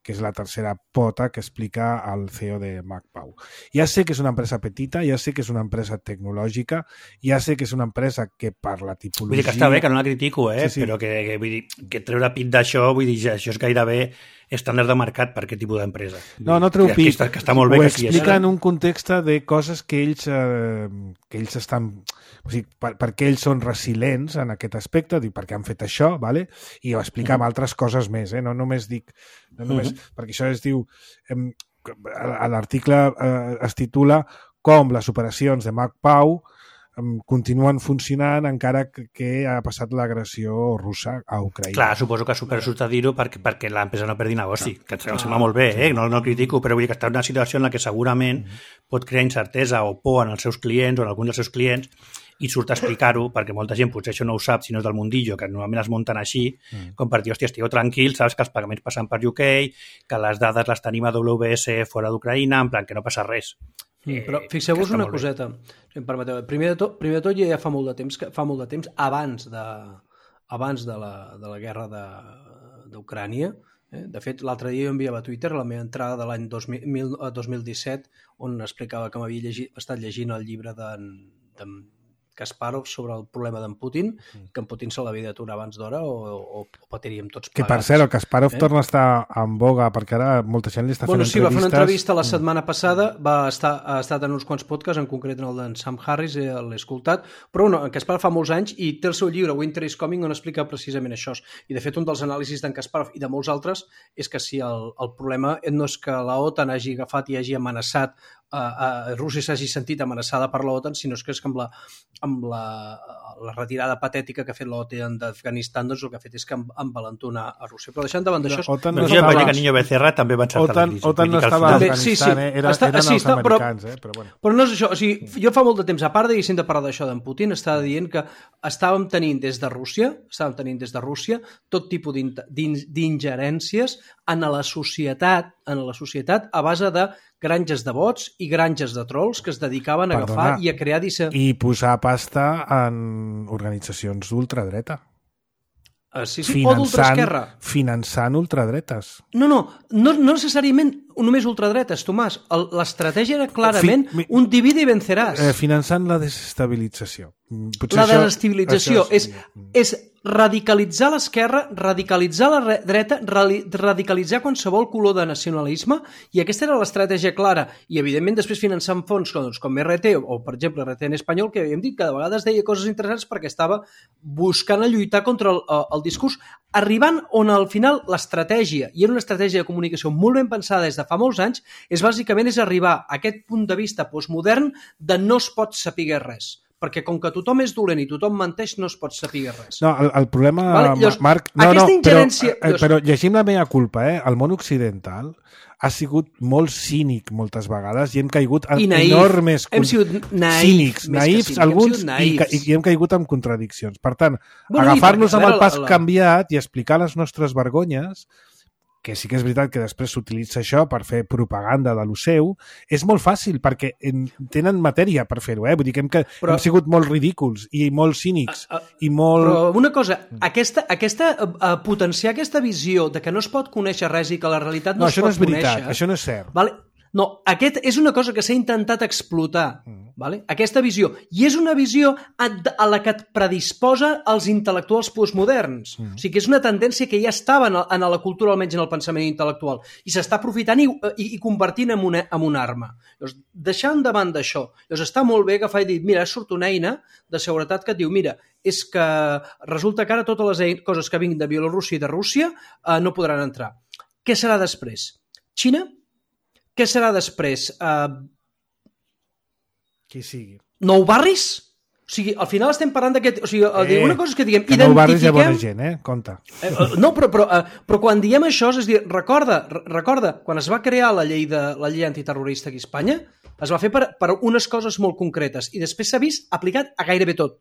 Que és la tercera pota que explica el CEO de MacPau. Ja sé que és una empresa petita, ja sé que és una empresa tecnològica, ja sé que és una empresa que per la tipologia... Vull dir que està bé, que no la critico, sí. Però que vull dir, que treure pit d'això, vull dir, això és gairebé estàndard de mercat per aquest tipus d'empresa. No treu pit. Que està molt bé. Ho explica en un context de coses que ells estan... O sigui, per què ells són resilients en aquest aspecte, dic, perquè han fet això, ¿vale? I ho explica amb altres coses més, no només dic... perquè això es diu... L'article es titula com les operacions de MacPau continuen funcionant encara que ha passat l'agressió russa a Ucraïna. Clar, suposo que supersurt a dir-ho perquè l'empresa no perdi negoci, que em sembla molt bé, no critico, però vull dir que està en una situació en la que segurament pot crear incertesa o por en els seus clients o en alguns dels seus clients i surt a explicar-ho, perquè molta gent potser això no ho sap si no és del mundillo, que normalment es munten així, com per dir, hòstia, estigueu tranquils, saps que els pagaments passen per UK, que les dades les tenim a WS fora d'Ucraïna, en plan que no passa res. Però fixeu-vos una coseta, si em permeteu. Primer de tot ja fa molt de temps, abans de la guerra d'Ucrània. De fet, l'altre dia jo enviava a Twitter la meva entrada de l'any 2017 on explicava que m'havia estat llegint el llibre d'en Kasparov sobre el problema d'en Putin, que en Putin se l'havia d'aturar abans d'hora o patiríem tots plegats. Que per cert, el Kasparov torna a estar en boga, perquè ara molta gent li està fent entrevistes. Va fer una entrevista la setmana passada, ha estat en uns quants podcasts, en concret en el d'en Sam Harris, l'he escoltat, però en Kasparov fa molts anys i té el seu llibre Winter is Coming on explica precisament això. I de fet un dels anàlisis d'en Kasparov i de molts altres és que si el problema no és que la OTAN hagi agafat i hagi amenaçat Rússia s'hagi sentit amenaçada per l'OTAN, sinó que és que amb la retirada patètica que ha fet l'OTAN d'Afganistan, doncs el que ha fet és que envalentonar a Rússia. Però deixant davant d'això... No que Niño Becerra també va encertar la crisi. OTAN no estava a Afganistan, eren els americans, però bueno. Però no és això, o sigui, jo fa molt de temps, a part de parlar d'això d'en Putin, estava dient que estàvem tenint des de Rússia tot tipus d'ingerències en la societat a base de granges de bots i granges de trolls que es dedicaven a agafar i a crear... I posar pasta en organitzacions d'ultradreta. Sí, o d'ultraesquerra. Finançant ultradretes. No necessàriament només ultradretes, Tomàs. L'estratègia era clarament un divide i venceràs. Finançant la desestabilització. La desestabilització és radicalitzar l'esquerra, radicalitzar la dreta, radicalitzar qualsevol color de nacionalisme, i aquesta era l'estratègia clara. I, evidentment, després finançant fons com RT, o, per exemple, RT en espanyol, que havíem dit que de vegades deia coses interessants perquè estava buscant a lluitar contra el discurs, arribant on, al final, l'estratègia, i era una estratègia de comunicació molt ben pensada des de fa molts anys, bàsicament és arribar a aquest punt de vista postmodern de no es pot saber res. Perquè com que tothom és dolent i tothom menteix, no es pot saber res. No, el problema, llavors, Marc... Però llegim la meva culpa, el món occidental ha sigut molt cínic moltes vegades i hem caigut en enormes... Hem sigut naïfs alguns, i hem caigut en contradiccions. Per tant, agafar-nos amb el pas canviat i explicar les nostres vergonyes, que sí que és veritat que després s'utilitza això per fer propaganda de lo seu, és molt fàcil, perquè tenen matèria per fer-ho, Vull dir que hem sigut molt ridículs i molt cínics i molt... Però una cosa, potenciar aquesta visió de que no es pot conèixer res i que la realitat no es pot conèixer... No, això no és veritat, això no és cert. Vale? No, aquest és una cosa que s'ha intentat explotar vale? Aquesta visió. I és una visió a la que et predisposa els intel·lectuals postmoderns. O sigui, que és una tendència que ja estava en la cultura, almenys en el pensament intel·lectual, i s'està aprofitant i convertint en una arma. Llavors, deixant davant d'això, llavors està molt bé agafar i dir, mira, surt una eina de seguretat que et diu, mira, és que resulta que ara totes les coses que vinguin de Bielorússia i de Rússia no podran entrar. Què serà després? Xina? Què serà després? Qui sigui. Nou barris? O sigui, al final estem parlant d'aquest... O sigui, una cosa és que diguem... Que nou barris hi ha bona gent, compte. No, però quan diem això, és dir, recorda, quan es va crear la llei antiterrorista aquí a Espanya, es va fer per unes coses molt concretes i després s'ha vist aplicat a gairebé tot.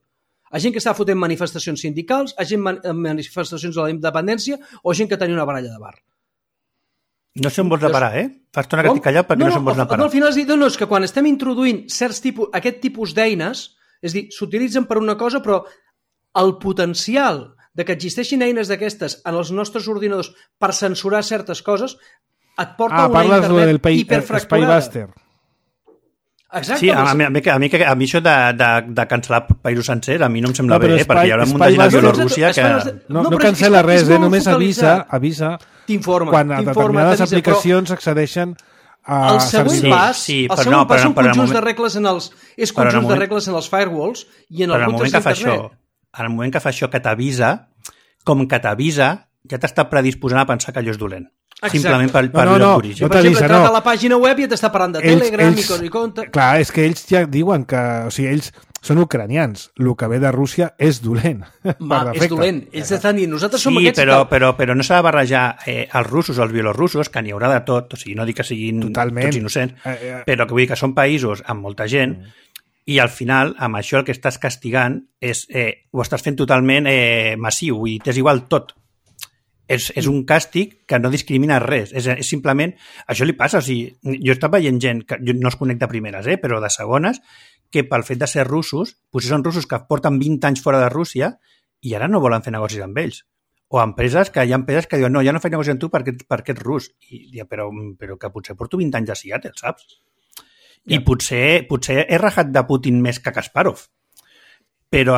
A gent que estava fotent manifestacions sindicals, a gent manifestacions de la independència o gent que tenia una baralla de bar. No sé on vols parar, Fa estona que estic callat perquè no sé on vols parar. No, al final has dit, no, és que quan estem introduint aquest tipus d'eines, és dir, s'utilitzen per una cosa, però el potencial de que existeixin eines d'aquestes en els nostres ordinadors per censurar certes coses et porta a una internet hiperfracturada. Spybuster. Exacte. Sí, a mi això de cancel·lar països sencers a mi no em sembla bé, perquè hi haurà un munt de gent a Bielorússia que... No cancel·la res, només avisa quan a determinades aplicacions accedeixen a... El següent pas són conjunts de regles en els firewalls i en els routers d'internet. En el moment que fa això que t'avisa, ja t'està predisposant a pensar que allò és dolent. Exacte. Simplement per lloc d'origen. Per exemple, entra a la pàgina web i t'està parlant de Telegram i compte... Clar, és que ells ja diuen que... O sigui, ells són ucranians. El que ve de Rússia és dolent. És dolent. Ells estan dient, nosaltres som aquests... Però no s'ha de barrejar els russos o els bielorussos, que n'hi haurà de tot. O sigui, no dic que siguin tots innocents, però que vull dir que són països amb molta gent i al final, amb això el que estàs castigant és... ho estàs fent totalment massiu i t'és igual tot. És un càstig que no discrimina res. És simplement... Això li passa. O sigui, jo estava veient gent, que jo no els conec de primeres, però de segones, que pel fet de ser russos, potser són russos que porten 20 anys fora de Rússia i ara no volen fer negocis amb ells. O empreses que hi ha empreses que diuen no, ja no faig negoci amb tu perquè ets rus. I diuen, però que potser porto 20 anys a Seattle, saps? I potser he rajat de Putin més que Kasparov. Però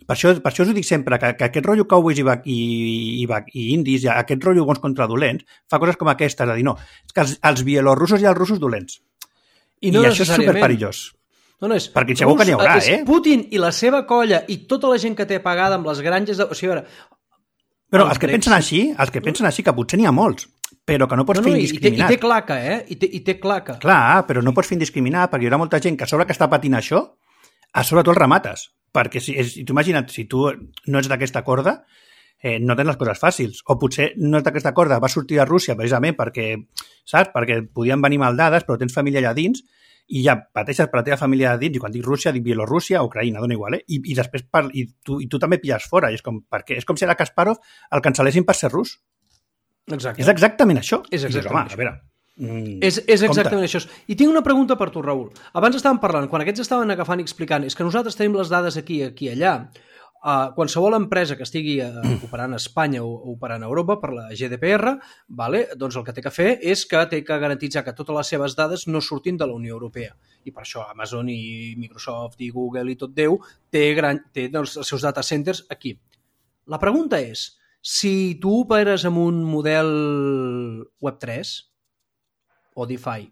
per això us ho dic sempre, que aquest rotllo cowboys i indis, aquest rotllo bons contra dolents, fa coses com aquestes, de dir, no, és que els bielorussos i els russos dolents. I això és superperillós. No, perquè segur que n'hi haurà, és Putin i la seva colla i tota la gent que té pagada amb les granges... O sigui, però els que pensen així, que potser n'hi ha molts, però que no pots fer indiscriminat. I té claca, I té claca. Clar, però no pots fer indiscriminat, perquè hi haurà molta gent que a sobre que està patint això, a sobre tu el remates. Perquè si tu imagina't, si tu no ets d'aquesta corda, no tens les coses fàcils. O potser no ets d'aquesta corda, vas sortir de Rússia precisament perquè, saps? Perquè podien venir maldades, però tens família allà dins i ja pateixes per la teva família allà dins. I quan dic Rússia, dic Bielorússia, Ucraïna, dona igual, I després tu també pilles fora. I és com si ara Kasparov el cancel·lessin per ser rus. Exacte. És exactament això. És exactament això. A veure... És exactament això. I tinc una pregunta per tu, Raül. Abans estàvem parlant, quan aquests estaven agafant i explicant, és que nosaltres tenim les dades aquí i allà. Qualsevol empresa que estigui operant a Espanya o operant a Europa per la GDPR, doncs el que té que fer és que té que garantitzar que totes les seves dades no surtin de la Unió Europea. I per això Amazon i Microsoft i Google i tot Déu té els seus data centers aquí. La pregunta és, si tu operes amb un model Web3 o DeFi,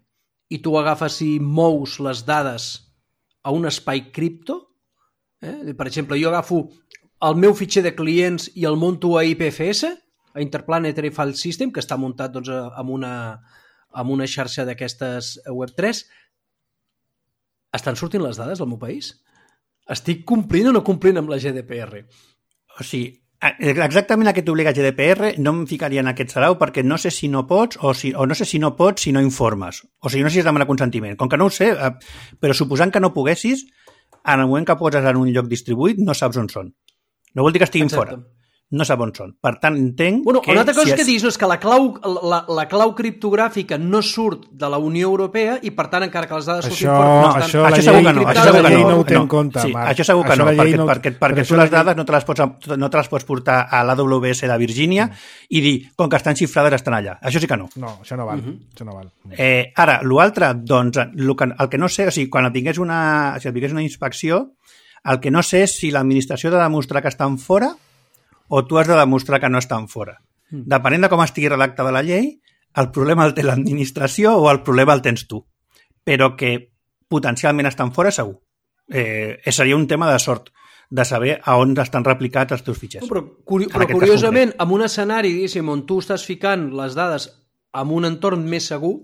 i tu agafes i mous les dades a un espai cripto, per exemple, jo agafo el meu fitxer de clients i el monto a IPFS, a Interplanetary File System, que està muntat doncs, amb una xarxa d'aquestes Web3, estan sortint les dades del meu país? Estic complint o no complint amb la GDPR? O sigui, exactament a què t'obliga GDPR no em ficaria en aquest sarau perquè no sé si no pots o no sé si no pots si no informes. O sigui, no sé si has demanar consentiment. Com que no ho sé, però suposant que no poguessis, en el moment que poses en un lloc distribuït no saps on són. No vol dir que estiguin fora. no sap on són. Per tant, entenc que... Una altra cosa que dius és que la clau criptogràfica no surt de la Unió Europea i, per tant, encara que les dades surtin fora... Això la llei no ho té en compte, Marc. Això segur que no, perquè tu les dades no te les pots portar a l'AWS de Virgínia i dir, com que estan xifrades, estan allà. Això sí que no. No, això no val. Això no val. Ara, l'altre, doncs, el que no sé, o sigui, quan et vingués una inspecció, el que no sé és si l'administració ha de demostrar que estan fora o tu has de demostrar que no estan fora. Depenent de com estigui redactada la llei, el problema el té l'administració o el problema el tens tu. Però que potencialment estan fora, segur. Seria un tema de sort, de saber a on estan replicats els teus fitxers. Però curiosament, en un escenari, diguéssim, on tu estàs ficant les dades en un entorn més segur...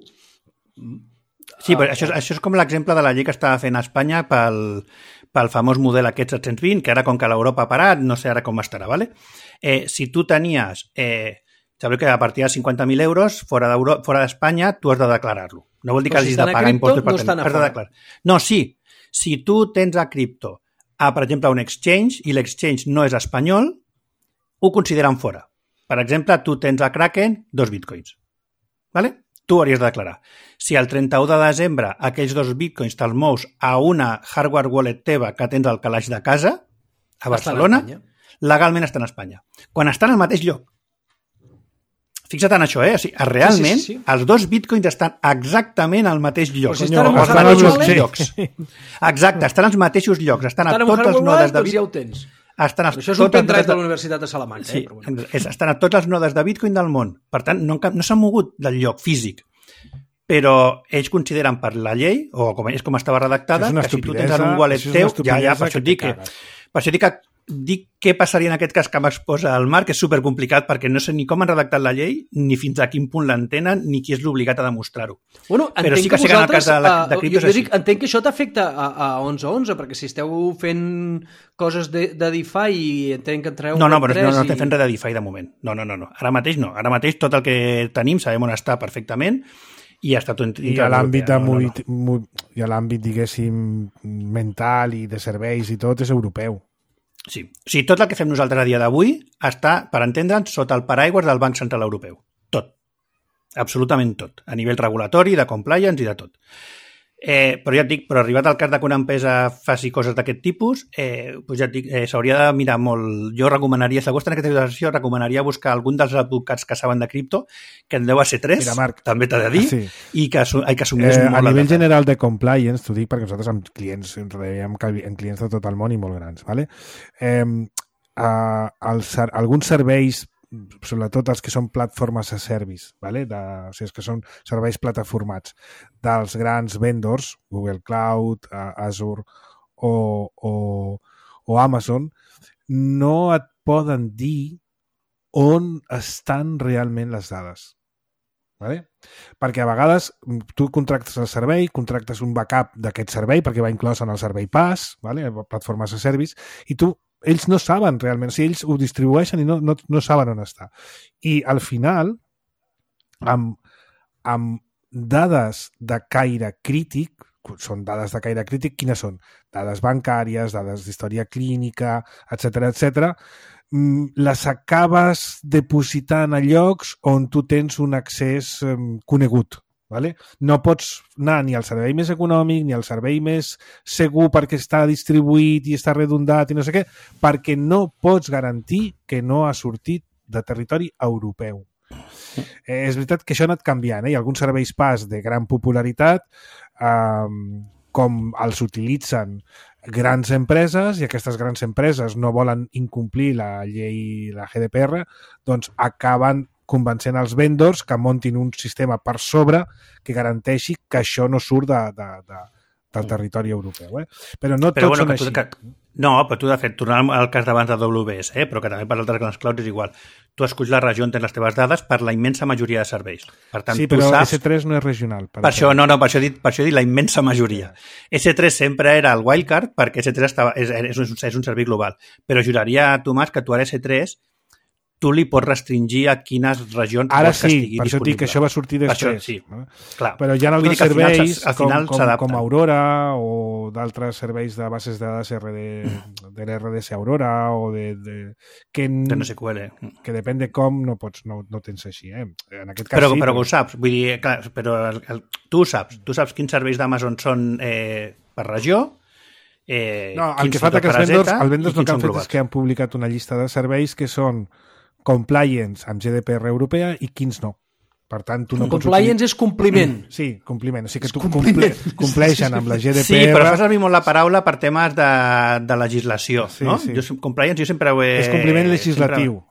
Sí, però això és com l'exemple de la llei que estava fent a Espanya pel famós model aquest 720, que ara com que l'Europa ha parat, no sé ara com estarà, ¿vale? Si tu tenies, sabeu que a partir de 50.000 euros fora d'Espanya, tu has de declarar-lo. No vol dir que hagis de pagar impostos per tenir. No, sí. Si tu tens a cripto, per exemple, un exchange, i l'exchange no és espanyol, ho consideren fora. Per exemple, tu tens a Kraken 2 bitcoins. ¿Vale? Tu hauries de declarar. Si el 31 de desembre aquells 2 bitcoins te'ls mous a una hardware wallet teva que tens al calaix de casa, a Barcelona, legalment estan a Espanya. Quan estan al mateix lloc. Fixa't en això, O sigui, realment, sí. Els 2 bitcoins estan exactament al mateix lloc. Pues estan als mateixos llocs. Exacte, estan als mateixos llocs. Estan a totes les nodes de Bitcoin. Això és un pendrive de la Universitat de Salamanca. Sí, però bueno. Estan a totes les nodes de Bitcoin del món. Per tant, no s'han mogut del lloc físic. Però ells consideren per la llei, o és com estava redactada, que si tu tens en un wallet teu, per això dic que què passaria en aquest cas que m'exposa el Marc, és supercomplicat perquè no sé ni com han redactat la llei, ni fins a quin punt l'entenen, ni qui és l'obligat a demostrar-ho. Bueno, però sí que sé que en el cas de criptos és així. Entenc que això t'afecta a 11.11, perquè si esteu fent coses de DeFi i entenc que entreu... No, però no estem fent res de DeFi de moment. No. Ara mateix no. Ara mateix tot el que tenim sabem on està perfectament i està tot... I a l'àmbit, diguéssim, mental i de serveis i tot és europeu. Sí. O sigui, tot el que fem nosaltres a dia d'avui està, per entendre'ns, sota el paraigües del Banc Central Europeu. Tot. Absolutament tot. A nivell regulatori, de compliance i de tot. Però ja et dic, arribat al cas que una empresa faci coses d'aquest tipus, doncs ja et dic, s'hauria de mirar molt. Jo recomanaria, si algú està en aquesta situació, recomanaria buscar algun dels advocats que saben de cripto, que en deu a ser 3, mira, Marc, també t'ha de dir, sí. I que assumís molt a nivell general de compliance, t'ho dic perquè nosaltres amb clients, amb clients de tot el món i molt grans, ¿vale? Alguns serveis, sobretot els que són plataformes a service, ¿vale? O sigui, que són serveis plataformats dels grans vendors, Google Cloud, Azure o Amazon, no et poden dir on estan realment les dades. ¿Vale? Perquè a vegades tu contractes el servei, contractes un backup d'aquest servei perquè va inclòs en el servei PaaS, ¿vale? Plataformes a service, i ells no saben realment, o sigui, ells ho distribueixen i no saben on està. I al final, amb dades de caire crític, són dades de caire crític, quines són? Dades bancàries, dades d'història clínica, etc, les acabes depositant a llocs on tu tens un accés conegut. ¿Vale? No pots anar ni al servei més econòmic ni al servei més segur perquè està distribuït i està redundat i no sé què, perquè no pots garantir que no ha sortit de territori europeu. És veritat que això ha anat canviant, Hi ha alguns serveis PaaS de gran popularitat com els utilitzen grans empreses i aquestes grans empreses no volen incomplir la llei, la GDPR, doncs acaben convencent els vendors que muntin un sistema per sobre que garanteixi que això no surt del territori europeu. Però no tots són així. No, però tu, de fet, tornant al cas d'abans de AWS, però que també per altres grans clouds és igual. Tu esculls la regió on tens les teves dades per la immensa majoria de serveis. Per tant, sí, però S3 no és regional. Per això he dit la immensa majoria. S3 sempre era el wildcard perquè S3 és un servei global. Però juraria a Tomàs que tu ara S3 tu li pots restringir a quines regions ara vols que estigui per això disponible. dic que això va sortir després. Sí. No? Clar. Però hi ha altres serveis com Aurora o d'altres serveis de bases de dades de l'RDS Aurora o de NoSQL. Que depèn de com no tens així. En aquest cas però sí. Però ho saps. Vull dir, clar, però tu ho saps. Tu saps quins serveis d'Amazon són per regió. No, el que fa que els vendors el que han fet és que han publicat una llista de serveis que són compliance amb GDPR europea i quins no. Per tant, tu no compliance és compliment. Sí, compliment. O sigui que tu compleixen amb la GDPR. Sí, però fa servir molt la paraula per temes de legislació. Sí, no? Sí. Compliance jo sempre ho he... És compliment legislatiu.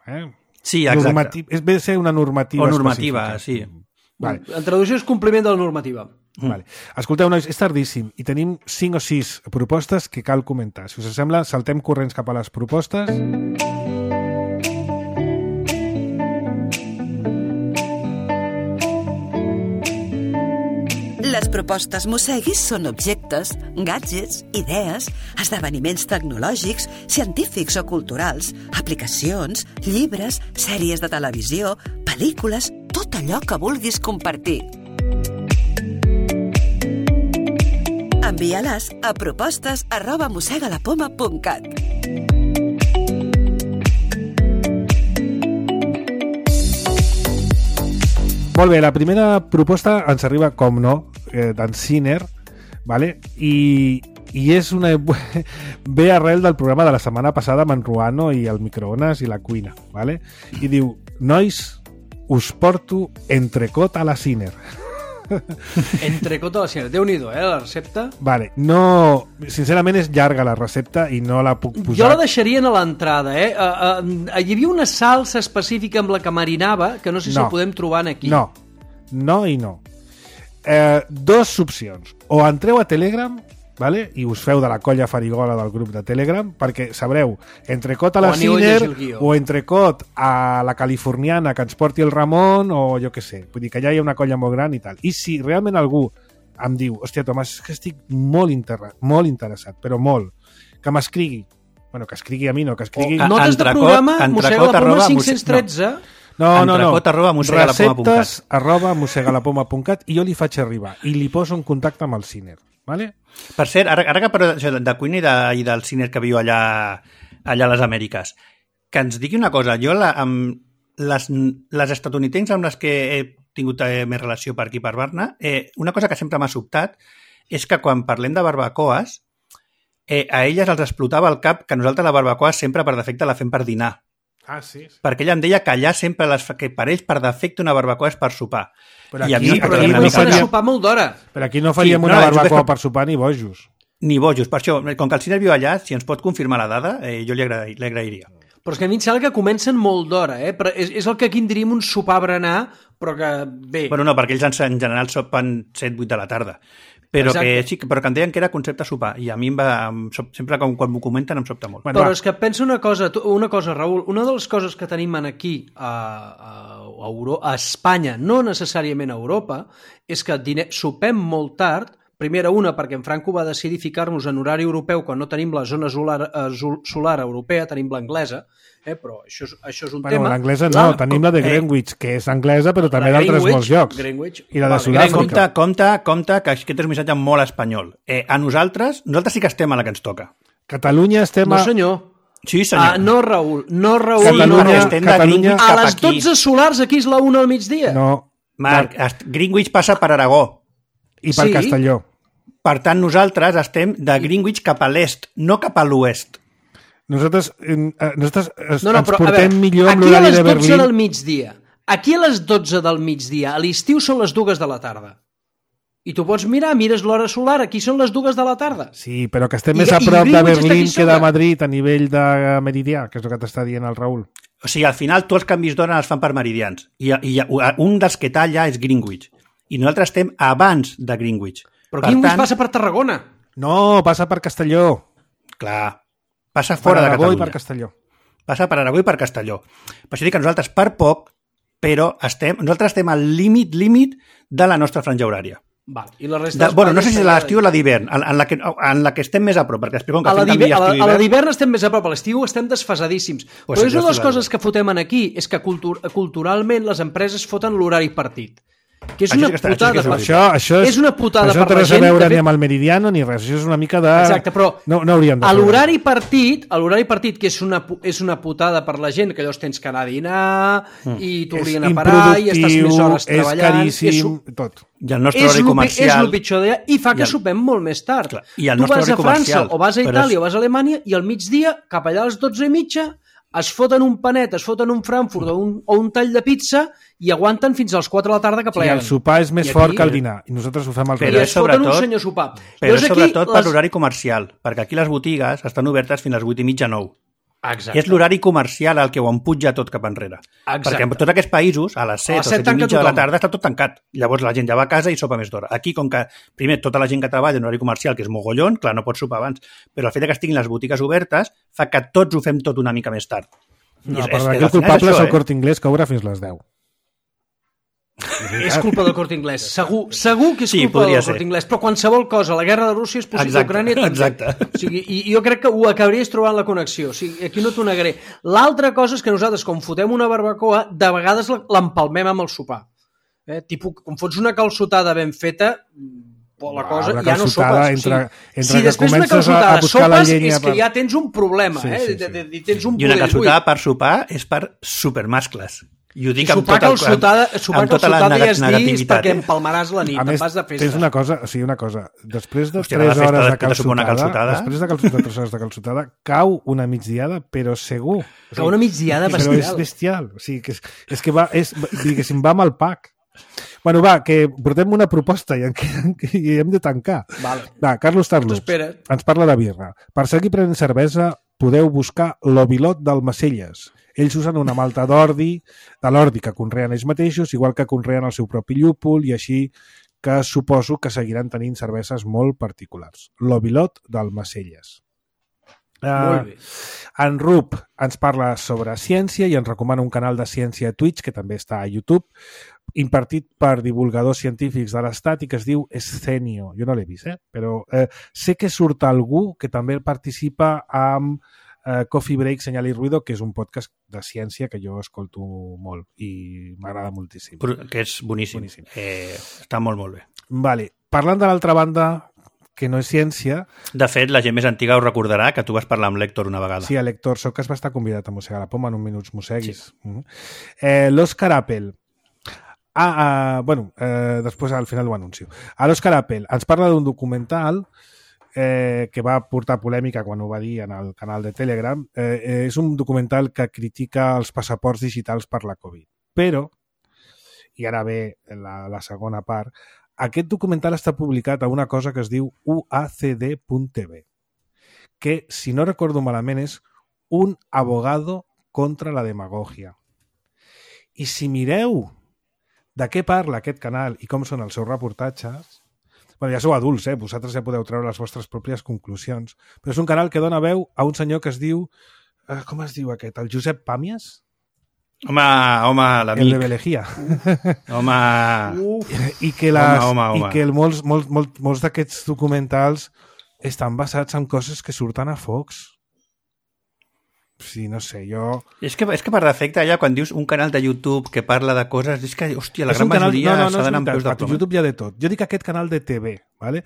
Sí, exacte. És bé ser una normativa específica. O normativa, sí. Vale. En traducció és compliment de la normativa. Vale. Escolteu, nois, és tardíssim i tenim 5 o 6 propostes que cal comentar. Si us sembla, saltem corrents cap a les propostes. Les propostes Mosseguis són objectes, gadgets, idees, esdeveniments tecnològics, científics o culturals, aplicacions, llibres, sèries de televisió, pel·lícules, tot allò que vulguis compartir. Envia-les a propostes@mossegalapoma.cat. Molt bé, la primera proposta ens arriba, com no, d'en Siner, vale? I és una... ve arrel del programa de la setmana passada amb en Ruano i el microones i la cuina, vale? I diu, nois, us porto entrecot a la Siner. Entrecot a la Siner. Déu-n'hi-do, la recepta. Vale, no... Sincerament és llarga la recepta i no la puc posar... Jo la deixarien a l'entrada, Hi havia una salsa específica amb la que marinava, que no sé si la podem trobar aquí. No i no. 2 opcions. O entreu a Telegram, vale? I us feu de la colla farigola del grup de Telegram, perquè sabreu, entrecot a la Siner o entrecot a la californiana que ens porti el Ramon o jo què sé. Vull dir que ja hi ha una colla molt gran i tal. I si realment algú em diu, hòstia, Tomàs, és que estic molt interessat, però molt, que m'escrigui. Bueno, que escrigui a mi, no, que escrigui... Notes de programa, Mossega la Poma 513... No. Receptes@mossegalapoma.cat i jo li faig arribar i li poso en contacte amb el Siner, vale? Per cert, ara que parlo de cuina i del Siner que viu allà a les Amèriques, que ens digui una cosa, jo amb les estatunidencs amb les que he tingut més relació per aquí per Barna, una cosa que sempre m'ha sobtat és que quan parlem de barbacoes a elles els explotava el cap que nosaltres la barbacoa sempre per defecte la fem per dinar. Ah, sí. Perquè ella em deia que allà sempre que per ells per defecte una barbacoa és per sopar. Però aquí no faríem sopar molt d'hora. Però aquí no faríem una barbacoa per sopar ni bojos. Ni bojos, per això, com que el Siner viu allà, si ens pot confirmar la dada, jo li agrairia. Però és que a mi em sembla que comencen molt d'hora, però és el que aquí en diríem un sopar berenar, però que bé... Bueno, no, perquè ells en general sopen 7-8 de la tarda. Però que em deien que era concepte sopar i a mi sempre quan m'ho comenten em sobta molt. Però és que pensa una cosa, Raül, una de les coses que tenim aquí a Espanya, no necessàriament a Europa, és que sopem molt tard. Primera, perquè en Franco va decidir ficar-nos en horari europeu quan no tenim la zona solar europea, tenim l'anglesa, però això és un tema. L'anglesa no, tenim la de Greenwich, que és anglesa, però també d'altres molts llocs. I la de Sud-àfrica. Compte, que aquest és un missatge molt espanyol. A nosaltres sí que estem a la que ens toca. Catalunya estem a... No, senyor. Sí, senyor. No, Raül. Catalunya... A les 12 solars aquí és la 1 al migdia. No. Marc, Greenwich passa per Aragó. I per Castelló. Per tant, nosaltres estem de Greenwich cap a l'est, no cap a l'oest. Nosaltres ens portem millor amb l'horari de Berlín. Aquí a les 12 del migdia. Aquí a les 12 del migdia. A l'estiu són les 2 de la tarda. I tu pots mires l'hora solar, aquí són les 2 de la tarda. Sí, però que estem més a prop de Berlín que de Madrid a nivell de meridià, que és el que t'està dient el Raül. O sigui, al final tots els canvis d'hora els fan per meridians. I un dels que talla és Greenwich. I nosaltres estem abans de Greenwich. Però Greenwich passa per Tarragona. No, passa per Castelló. Clar, passa fora de Catalunya. Per Aragó i per Castelló. Passa per Aragó i per Castelló. Per això dic que nosaltres per poc, però nosaltres estem al límit de la nostra franja horària. Vale. I la resta no sé si és l'estiu o la d'hivern, en la que estem més a prop, perquè explico que a la d'hivern estem més a prop, a l'estiu estem desfasadíssim. Però és una de les coses que fotem aquí, és que culturalment les empreses foten l'horari partit. Que és una putada per això és una putada per la gent. Això no té res a veure ni amb el Meridiano ni res, això és una mica de... Exacte, però no hauríem de a l'horari partit, que és una putada per la gent, que llavors tens que anar a dinar i t'haurien a parar i estàs més hores treballant. És caríssim, tot. I el nostre horari comercial... És el pitjor d'allà i fa que sopem molt més tard. Clar, i el tu vas a França o vas a Itàlia o vas a Alemanya i al migdia, cap allà a les 12:30, es foten un panet, es foten un Frankfurt o un tall de pizza i aguanten fins a les 4 de la tarda que pleguen. Sí, el sopar és més fort que el dinar i nosaltres ho fem al revés. I es foten un senyor sopar. Però és sobretot per l'horari comercial, perquè aquí les botigues estan obertes fins a les 8:30, 9. Exacte. És l'horari comercial el que ho empuja tot cap enrere. Exacte. Perquè en tots aquests països, a les 7 o 7:30 de la tarda està tot tancat. Llavors la gent ja va a casa i sopa més d'hora. Aquí, com que primer tota la gent que treballa en horari comercial, que és mogollon, clar, no pot sopar abans, però el fet que estiguin les botigues obertes fa que tots ho fem tot una mica més tard. No, però aquí el culpable és el Corte Inglés, que obre fins les 10. És culpa del Corte Inglés. Segur que és culpa del Corte Inglés, però qualsevol cosa, la guerra de Rússia és possible, Ucrània també. Exacte. O sigui, i jo crec que ho acabaries trobant la connexió. O sigui, aquí no t'ho negaré. L'altra cosa és que nosaltres, quan fotem una barbacoa, de vegades l'empalmem amb el sopar. Tipus, quan fots una calçotada ben feta, la cosa ja no sopes. Si després una calçotada sopes, és que ja tens un problema. I una calçotada per sopar és per supermascles. I ho dic amb tota la negativitat. Perquè empalmaràs la nit, te'n vas de festa. Tens una cosa, després de 3 hores de calçotada, cau una migdiada, però segur. Cau una migdiada bestial. Però és bestial. O sigui, és que va amb el pack. Bueno, va, que portem una proposta i hem de tancar. Vale. Va, Carlos Tarlux ens parla de birra. Per seguir prenent cervesa podeu buscar l'Ovilot d'Almacelles. Ells usen una malta de l'ordi que conreen ells mateixos, igual que conreen el seu propi llúpol, i així que suposo que seguiran tenint cerveses molt particulars. L'Ovilot d'Almacelles. Molt bé. En Rup ens parla sobre ciència i ens recomana un canal de ciència a Twitch, que també està a YouTube, impartit per divulgadors científics de l'Estat i que es diu Escenio. Jo no l'he vist, però sé que surt algú que també participa amb Coffee Break, Senyal i Ruido, que és un podcast de ciència que jo escolto molt i m'agrada moltíssim. Que és boníssim. Està molt, molt bé. Vale. Parlant de l'altra banda, que no és ciència... De fet, la gent més antiga ho recordarà, que tu vas parlar amb l'Héctor una vegada. Sí, l'Héctor Socas va estar convidat a mossegar la poma en un minut mosseguis. Sí. L'Òscar Apple. Després al final ho anuncio. L'Òscar Apple ens parla d'un documental que va portar polèmica quan ho va dir en el canal de Telegram. És un documental que critica els passaports digitals per la Covid. Però, i ara ve la segona part, aquest documental està publicat a una cosa que es diu UACD.tv, que, si no recordo malament, és un abogado contra la demagogia. I si mireu de què parla aquest canal i com són els seus reportatges, ja sou adults, vosaltres ja podeu treure les vostres pròpies conclusions, però és un canal que dona veu a un senyor que es diu... com es diu aquest? El Josep Pàmies? Home, l'amic. El de Belejía. Home. I que molts d'aquests documentals estan basats en coses que surten a Fox. Sí, no sé, jo... És que per defecte, allà, quan dius un canal de YouTube que parla de coses, és que, hòstia, la gran majoria s'ha d'anar amb peus de ploma. A YouTube hi ha de tot. Jo dic aquest canal de TV, ¿vale?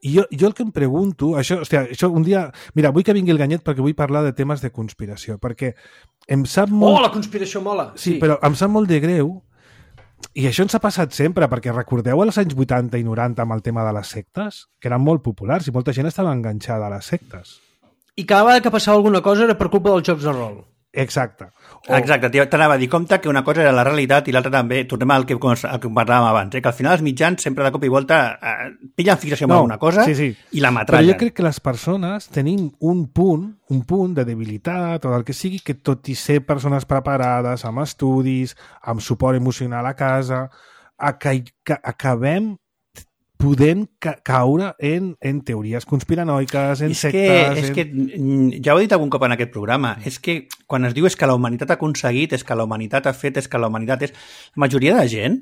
I jo el que em pregunto... Això un dia... Mira, vull que vingui el Ganyet perquè vull parlar de temes de conspiració, perquè em sap molt... Oh, la conspiració mola! Sí, però em sap molt de greu, i això ens ha passat sempre, perquè recordeu als anys 80 i 90 amb el tema de les sectes, que eren molt populars i molta gent estava enganxada a les sectes. I cada vegada que passava alguna cosa era per culpa dels jocs de rol. Exacte. Exacte, t'anava a dir, compte que una cosa era la realitat i l'altra també, tornem al que parlàvem abans, que al final els mitjans sempre de cop i volta pillen fixació amb alguna cosa i la matrallen. Però jo crec que les persones tenim un punt de debilitat o del que sigui, que tot i ser persones preparades, amb estudis, amb suport emocional a casa, acabem podent caure en teories conspiranoiques, en sectes... És que ja ho he dit algun cop en aquest programa, és que quan es diu és que la humanitat ha aconseguit, és que la humanitat ha fet, és que la humanitat és... La majoria de gent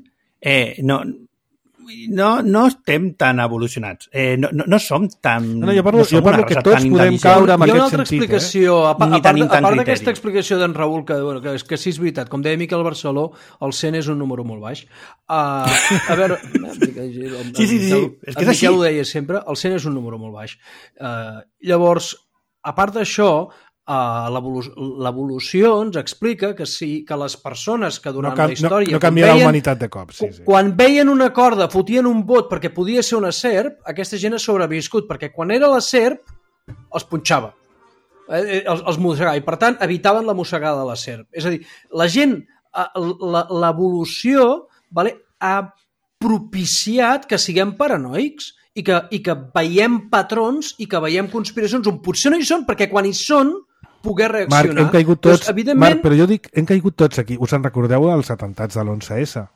no estem tan evolucionats. No som tan... Jo parlo que tots podem caure en aquest sentit. Explicació, a part d'aquesta explicació d'en Raül, que sí és veritat, com deia Miquel Barceló, el 100 és un número molt baix. A veure... Sí. És que Miquel ho deia sempre, el 100 és un número molt baix. Llavors, a part d'això, l'evolució ens explica que les persones que durant la història... No canvia la humanitat de cop, sí. Quan veien una corda, fotien un bot perquè podia ser una serp, aquesta gent ha sobreviscut, perquè quan era la serp, els punxava, els mossegava, i per tant evitaven la mossegada de la serp. És a dir, la gent, l'evolució ha propiciat que siguem paranoics i que veiem patrons i que veiem conspiracions on potser no hi són, perquè quan hi són poder reaccionar. Marc, hem caigut tots, Marc, però jo dic, hem caigut tots aquí. Us en recordeu dels atemptats de l'11S?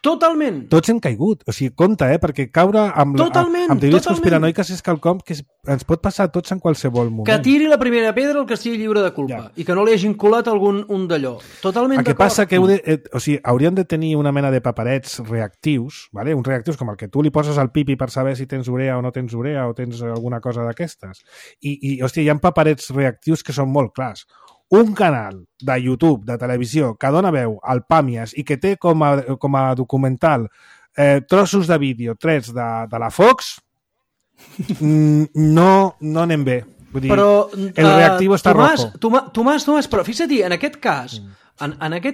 Totalment. Tots hem caigut. O sigui, compte, perquè caure amb teories conspiranoiques és quelcom que ens pot passar a tots en qualsevol moment. Que tiri la primera pedra el que estigui lliure de culpa i que no li hagin colat un d'allò. Totalment d'acord. El que passa que hauríem de tenir una mena de paperets reactius, uns reactius com el que tu li poses al pipi per saber si tens urea o no tens urea o tens alguna cosa d'aquestes. I hòstia, hi ha paperets reactius que són molt clars. Un canal de YouTube, de televisió, que dona veu al Pàmies i que té com a documental trossos de vídeo trets de la Fox, no anem bé. Vull dir, però, el reactiu està rojo. Tomàs, però fixa't, en aquest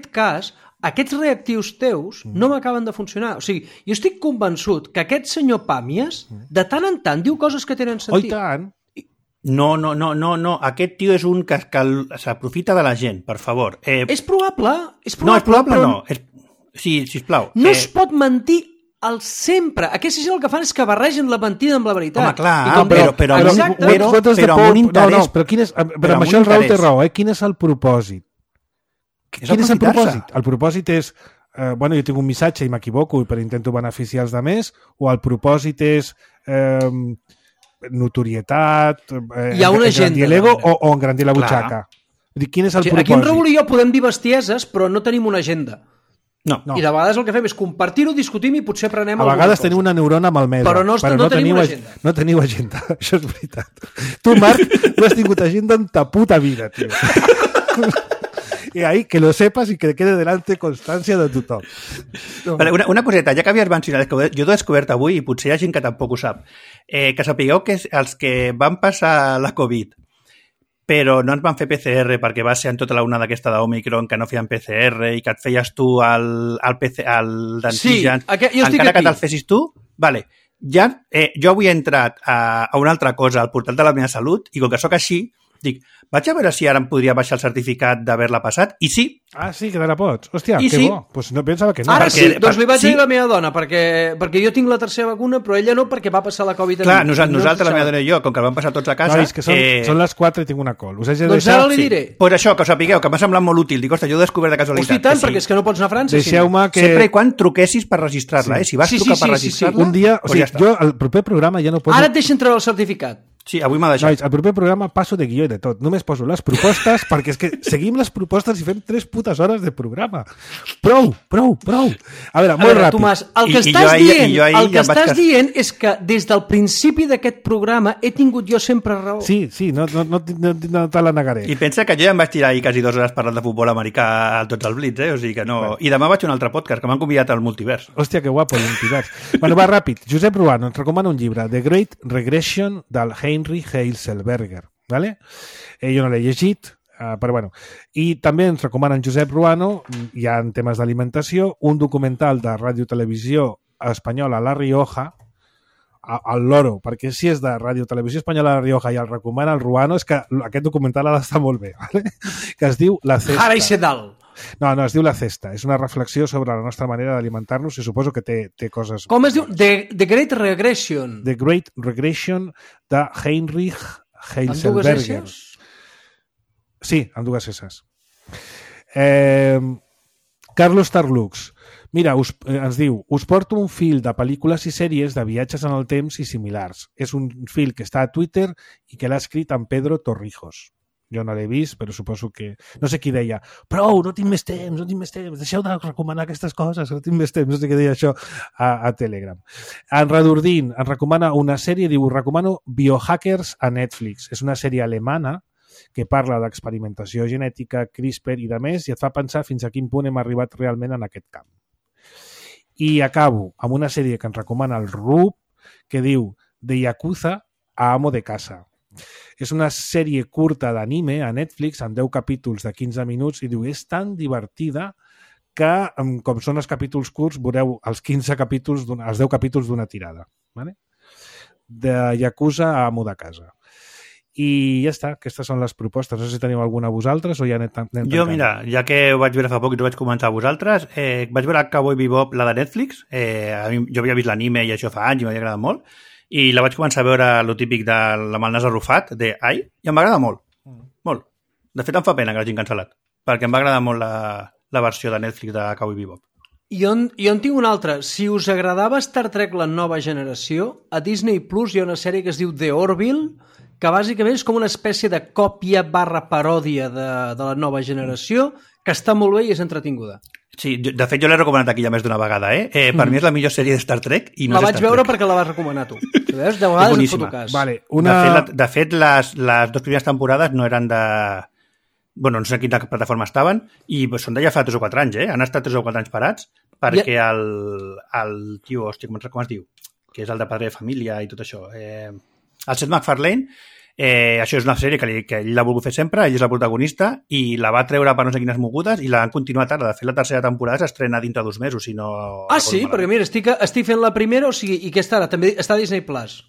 cas, aquests reactius teus no m'acaben de funcionar. O sigui, jo estic convençut que aquest senyor Pàmies de tant en tant diu coses que tenen sentit. Oh, i tant. No. Aquest tio és un que s'aprofita de la gent, per favor. És probable. No, és probable no. Sí, sisplau. No es pot mentir al sempre. Aquesta gent el que fan és que barregen la mentida amb la veritat. Home, clar, però amb un interès... Però amb això el Raül té raó, Quin és el propòsit? Quin és el propòsit? El propòsit és... jo tinc un missatge i m'equivoco i intento beneficiar els altres, o el propòsit és... notorietat, engrandir l'ego o engrandir la butxaca. Quin és el propòsit? Aquí en Raül i jo podem dir bestieses, però no tenim una agenda. No. I de vegades el que fem és compartir-ho, discutim i potser prenem alguna cosa. A vegades teniu una neurona malmesa, però no tenim una agenda. No teniu agenda, això és veritat. Tu, Marc, no has tingut agenda en ta puta vida, tio. I ahí, que lo sepas y que quede delante constància de tothom. No. Vale, una coseta, ja que havies mencionat, jo t'ho he descobert avui i potser hi ha gent que tampoc ho sap, que sapigueu que els que van passar la Covid però no ens van fer PCR perquè va ser en tota la onada aquesta d'Omicron que no feien PCR i que et feies tu al d'antígens, encara que te'l fessis tu, vale. Ja, jo avui he entrat a una altra cosa al portal de la meva salut i com que sóc així, dic, vaig a veure si ara em podria baixar el certificat d'haver-la passat, i sí. Ah, sí, que te la pots. Hòstia, que sí. bo. Pues no pensava que no. Ara sí, doncs li vaig dir a la meva dona, perquè jo tinc la tercera vacuna, però ella no, perquè va passar la Covid. Clar, nosaltres, la meva dona i jo, com que el vam passar tots a casa... No, és que són les 4 i tinc una col. Us haig de doncs ara li diré. Pues això, que ho sapigueu, que m'ha semblat molt útil. Dic, ostres, jo ho he descobert de casualitat. Hosti, tant, perquè és que no pots anar a França. Deixeu-me que... Sempre i quan truquessis per registrar-la, Si vas trucar per registrar-la... Un dia, o sigui, jo al proper programa ja no poso... Ara et deixen treure el certificat. Sí, avui m'ha deixat. Nois, al proper programa passo de guió i de tot. Només poso les propostes perquè és que seguim les propostes i fem 3 putes hores de programa. Prou. A veure, molt ràpid. Tomàs, el que estàs dient és que des del principi d'aquest programa he tingut jo sempre raó. Sí, no te la negaré. I pensa que jo ja em vaig tirar ahir quasi 2 hores parlant de futbol americà a tots els Blitz, O sigui que no... Bueno. I demà vaig a un altre podcast que m'han convidat al multivers. Hòstia, que guapo, el multivers. Bueno, va ràpid. Josep Ruano ens recomana un llibre, The Great Regression, del Heinrich Heiselberger, ¿vale? Jo no l'he llegit, però bueno. I també ens recomanen Josep Ruano, ja en temes d'alimentació, un documental de ràdio-televisió espanyola La Rioja, al loro, perquè si és de ràdio-televisió espanyola La Rioja i el recomana el Ruano, és que aquest documental ha d'estar molt bé, ¿vale? Que es diu La Cesta. Jara i Sedal. No, es diu La Cesta. És una reflexió sobre la nostra manera d'alimentar-nos i suposo que té coses... Com es diu? The Great Regression. The Great Regression de Heinrich Heiselberger. Amb 2 S's? Sí, amb 2 S's. Carlos Tarlux. Mira, ens diu, us porto un fil de pel·lícules i sèries de viatges en el temps i similars. És un fil que està a Twitter i que l'ha escrit en Pedro Torrijos. Jo no l'he vist, però suposo que... No sé qui deia, prou, no tinc més temps, deixeu de recomanar aquestes coses, no tinc més temps, no sé què deia això a Telegram. En Redordín ens recomana una sèrie, diu, recomano Biohackers a Netflix. És una sèrie alemana que parla d'experimentació genètica, CRISPR i de més, i et fa pensar fins a quin punt hem arribat realment en aquest camp. I acabo amb una sèrie que ens recomana el Rub, que diu de Yakuza a Amo de Casa. És una sèrie curta d'anime a Netflix amb 10 capítols de 15 minuts i diu, és tan divertida que, com són els capítols curts, veureu els 15 capítols, els 10 capítols d'una tirada. Vale? De Yakuza a Amo de Casa. I ja està, aquestes són les propostes. No sé si teniu alguna a vosaltres o ja anem tancant. Jo, mira, ja que ho vaig veure fa poc i t'ho vaig comentar a vosaltres, vaig veure Cowboy Bebop, la de Netflix. Jo havia vist l'anime i això fa anys i m'havia agradat molt. I la vaig començar a veure lo típic amb el nas arrufat, i em va agradar molt. Molt. De fet, em fa pena que l'hagin cancel·lat, perquè em va agradar molt la versió de Netflix de Cowboy Bebop. Jo en tinc una altra. Si us agradava Star Trek la nova generació, a Disney Plus hi ha una sèrie que es diu The Orville, que bàsicament és com una espècie de còpia / paròdia de la nova generació, que està molt bé i és entretinguda. Sí, de fet jo l'he recomanat aquí ja més d'una vegada, Per mi és la millor sèrie de Star Trek i no la vaig veure perquè la vas recomanar tu. Veus? De vegades et foto cas. Vale, de fet, les 2 primeres temporades no eren de... Bueno, no sé quina plataforma estaven i són d'allà fa 3 o 4 anys, Han estat 3 o 4 anys parats perquè el tio, hòstia, com es diu? Que és el de Padre de Família i tot això. El Seth MacFarlane, això és una sèrie que ell l'ha volgut fer sempre, ell és el protagonista i la va treure per no sé quines mogudes i l'han continuat ara. De fet, la tercera temporada s'estrena dintre de 2 mesos, si no... Ah, sí? Perquè mira, estic fent la primera, o sigui, i què està ara? També està a Disney Plus.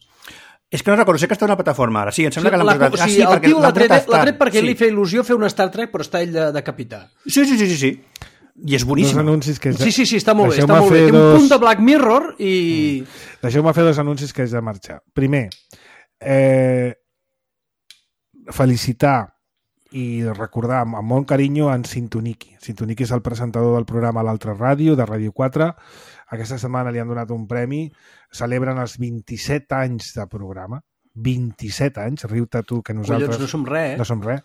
És que no recordo, sé que està a una plataforma ara. Sí, em sembla que l'han posat... O sigui, el tio l'ha tret perquè li feia il·lusió fer un Star Trek, però està ell de capità. Sí. I és boníssim. Sí, està molt bé, està molt bé. Té un punt de Black Mirror i... Deixeu-me fer 2 anuncis que haig de marxar. Primer, felicitar i recordar amb molt carinyo en Sintoniki. Sintoniki és el presentador del programa L'Altra Ràdio, de Ràdio 4. Aquesta setmana li han donat un premi. Celebren els 27 anys de programa. 27 anys, riu-te tu que nosaltres... Collons, no som res, No som res.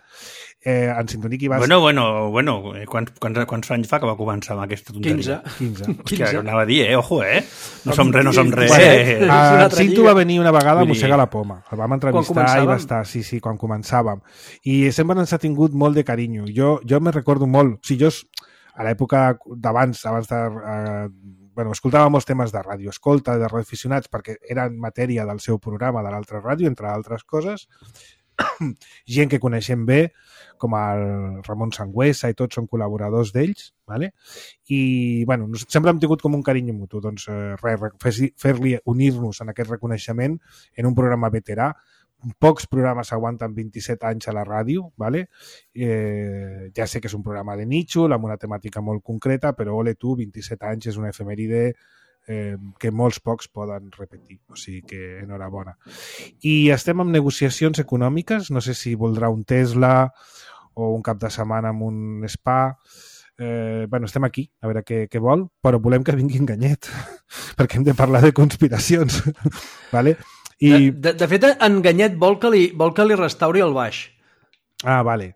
En Sintoniki vas... Bueno, quants anys fa que va començar amb aquesta tonteria? 15. Hòstia, anava a dir, ojo, No som res. Cinto va venir una vegada a mossegar la poma. El vam entrevistar i va estar, sí, quan començàvem. I sempre ens ha tingut molt de carinyo. Jo me recordo molt... O sigui, jo, a l'època abans de... escoltava molts temes de ràdio escolta, de radioaficionats, perquè eren matèria del seu programa de l'altra ràdio, entre altres coses. Gent que coneixem bé, com el Ramon Sangüesa i tots són col·laboradors d'ells, ¿vale? I sempre hem tingut com un carinyo mutu. Doncs fer-li unir-nos en aquest reconeixement en un programa veterà. Pocs programes aguanten 27 anys a la ràdio, ¿vale? Ja sé que és un programa de nítxol, amb una temàtica molt concreta, però ole tu, 27 anys és una efemèride que molts pocs poden repetir, o sigui que enhorabona. I estem en negociacions econòmiques, no sé si voldrà un Tesla o un cap de setmana amb un spa. Estem aquí, a veure què vol, però volem que vingui Enganyet, perquè hem de parlar de conspiracions, ¿vale? De fet, Enganyet vol que li restauri el baix. Ah, vale.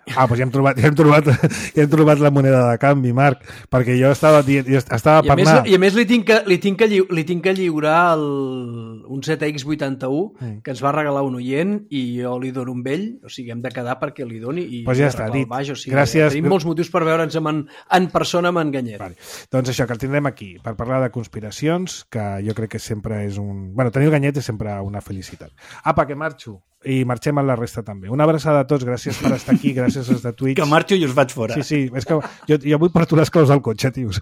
Doncs ja hem trobat la moneda de canvi, Marc, perquè jo estava parlant... I a més li tinc que lliurar un ZX81 que ens va regalar un oient i jo li dono un vell, o sigui, hem de quedar perquè li doni i ja està, dit. Baix, o sigui, gràcies. Tenim molts motius per veure'ns en persona amb Enganyet. Vale. Doncs això, que el tindrem aquí per parlar de conspiracions, que jo crec que sempre és un... tenir Enganyet és sempre una felicitat. Apa, que marxo. I marxem amb la resta també. Una abraçada a tots, gràcies per estar aquí, gràcies als de Twitch. Que marxo i us vaig fora. Sí, és que jo avui porto les claus al cotxe, tios.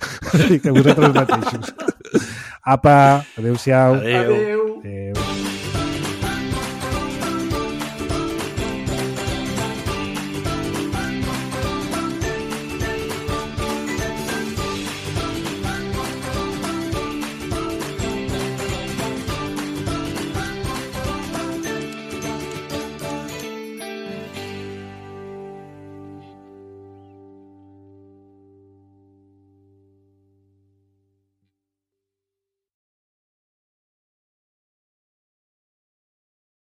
Que vosaltres mateixos. Apa, adéu-siau. Adéu.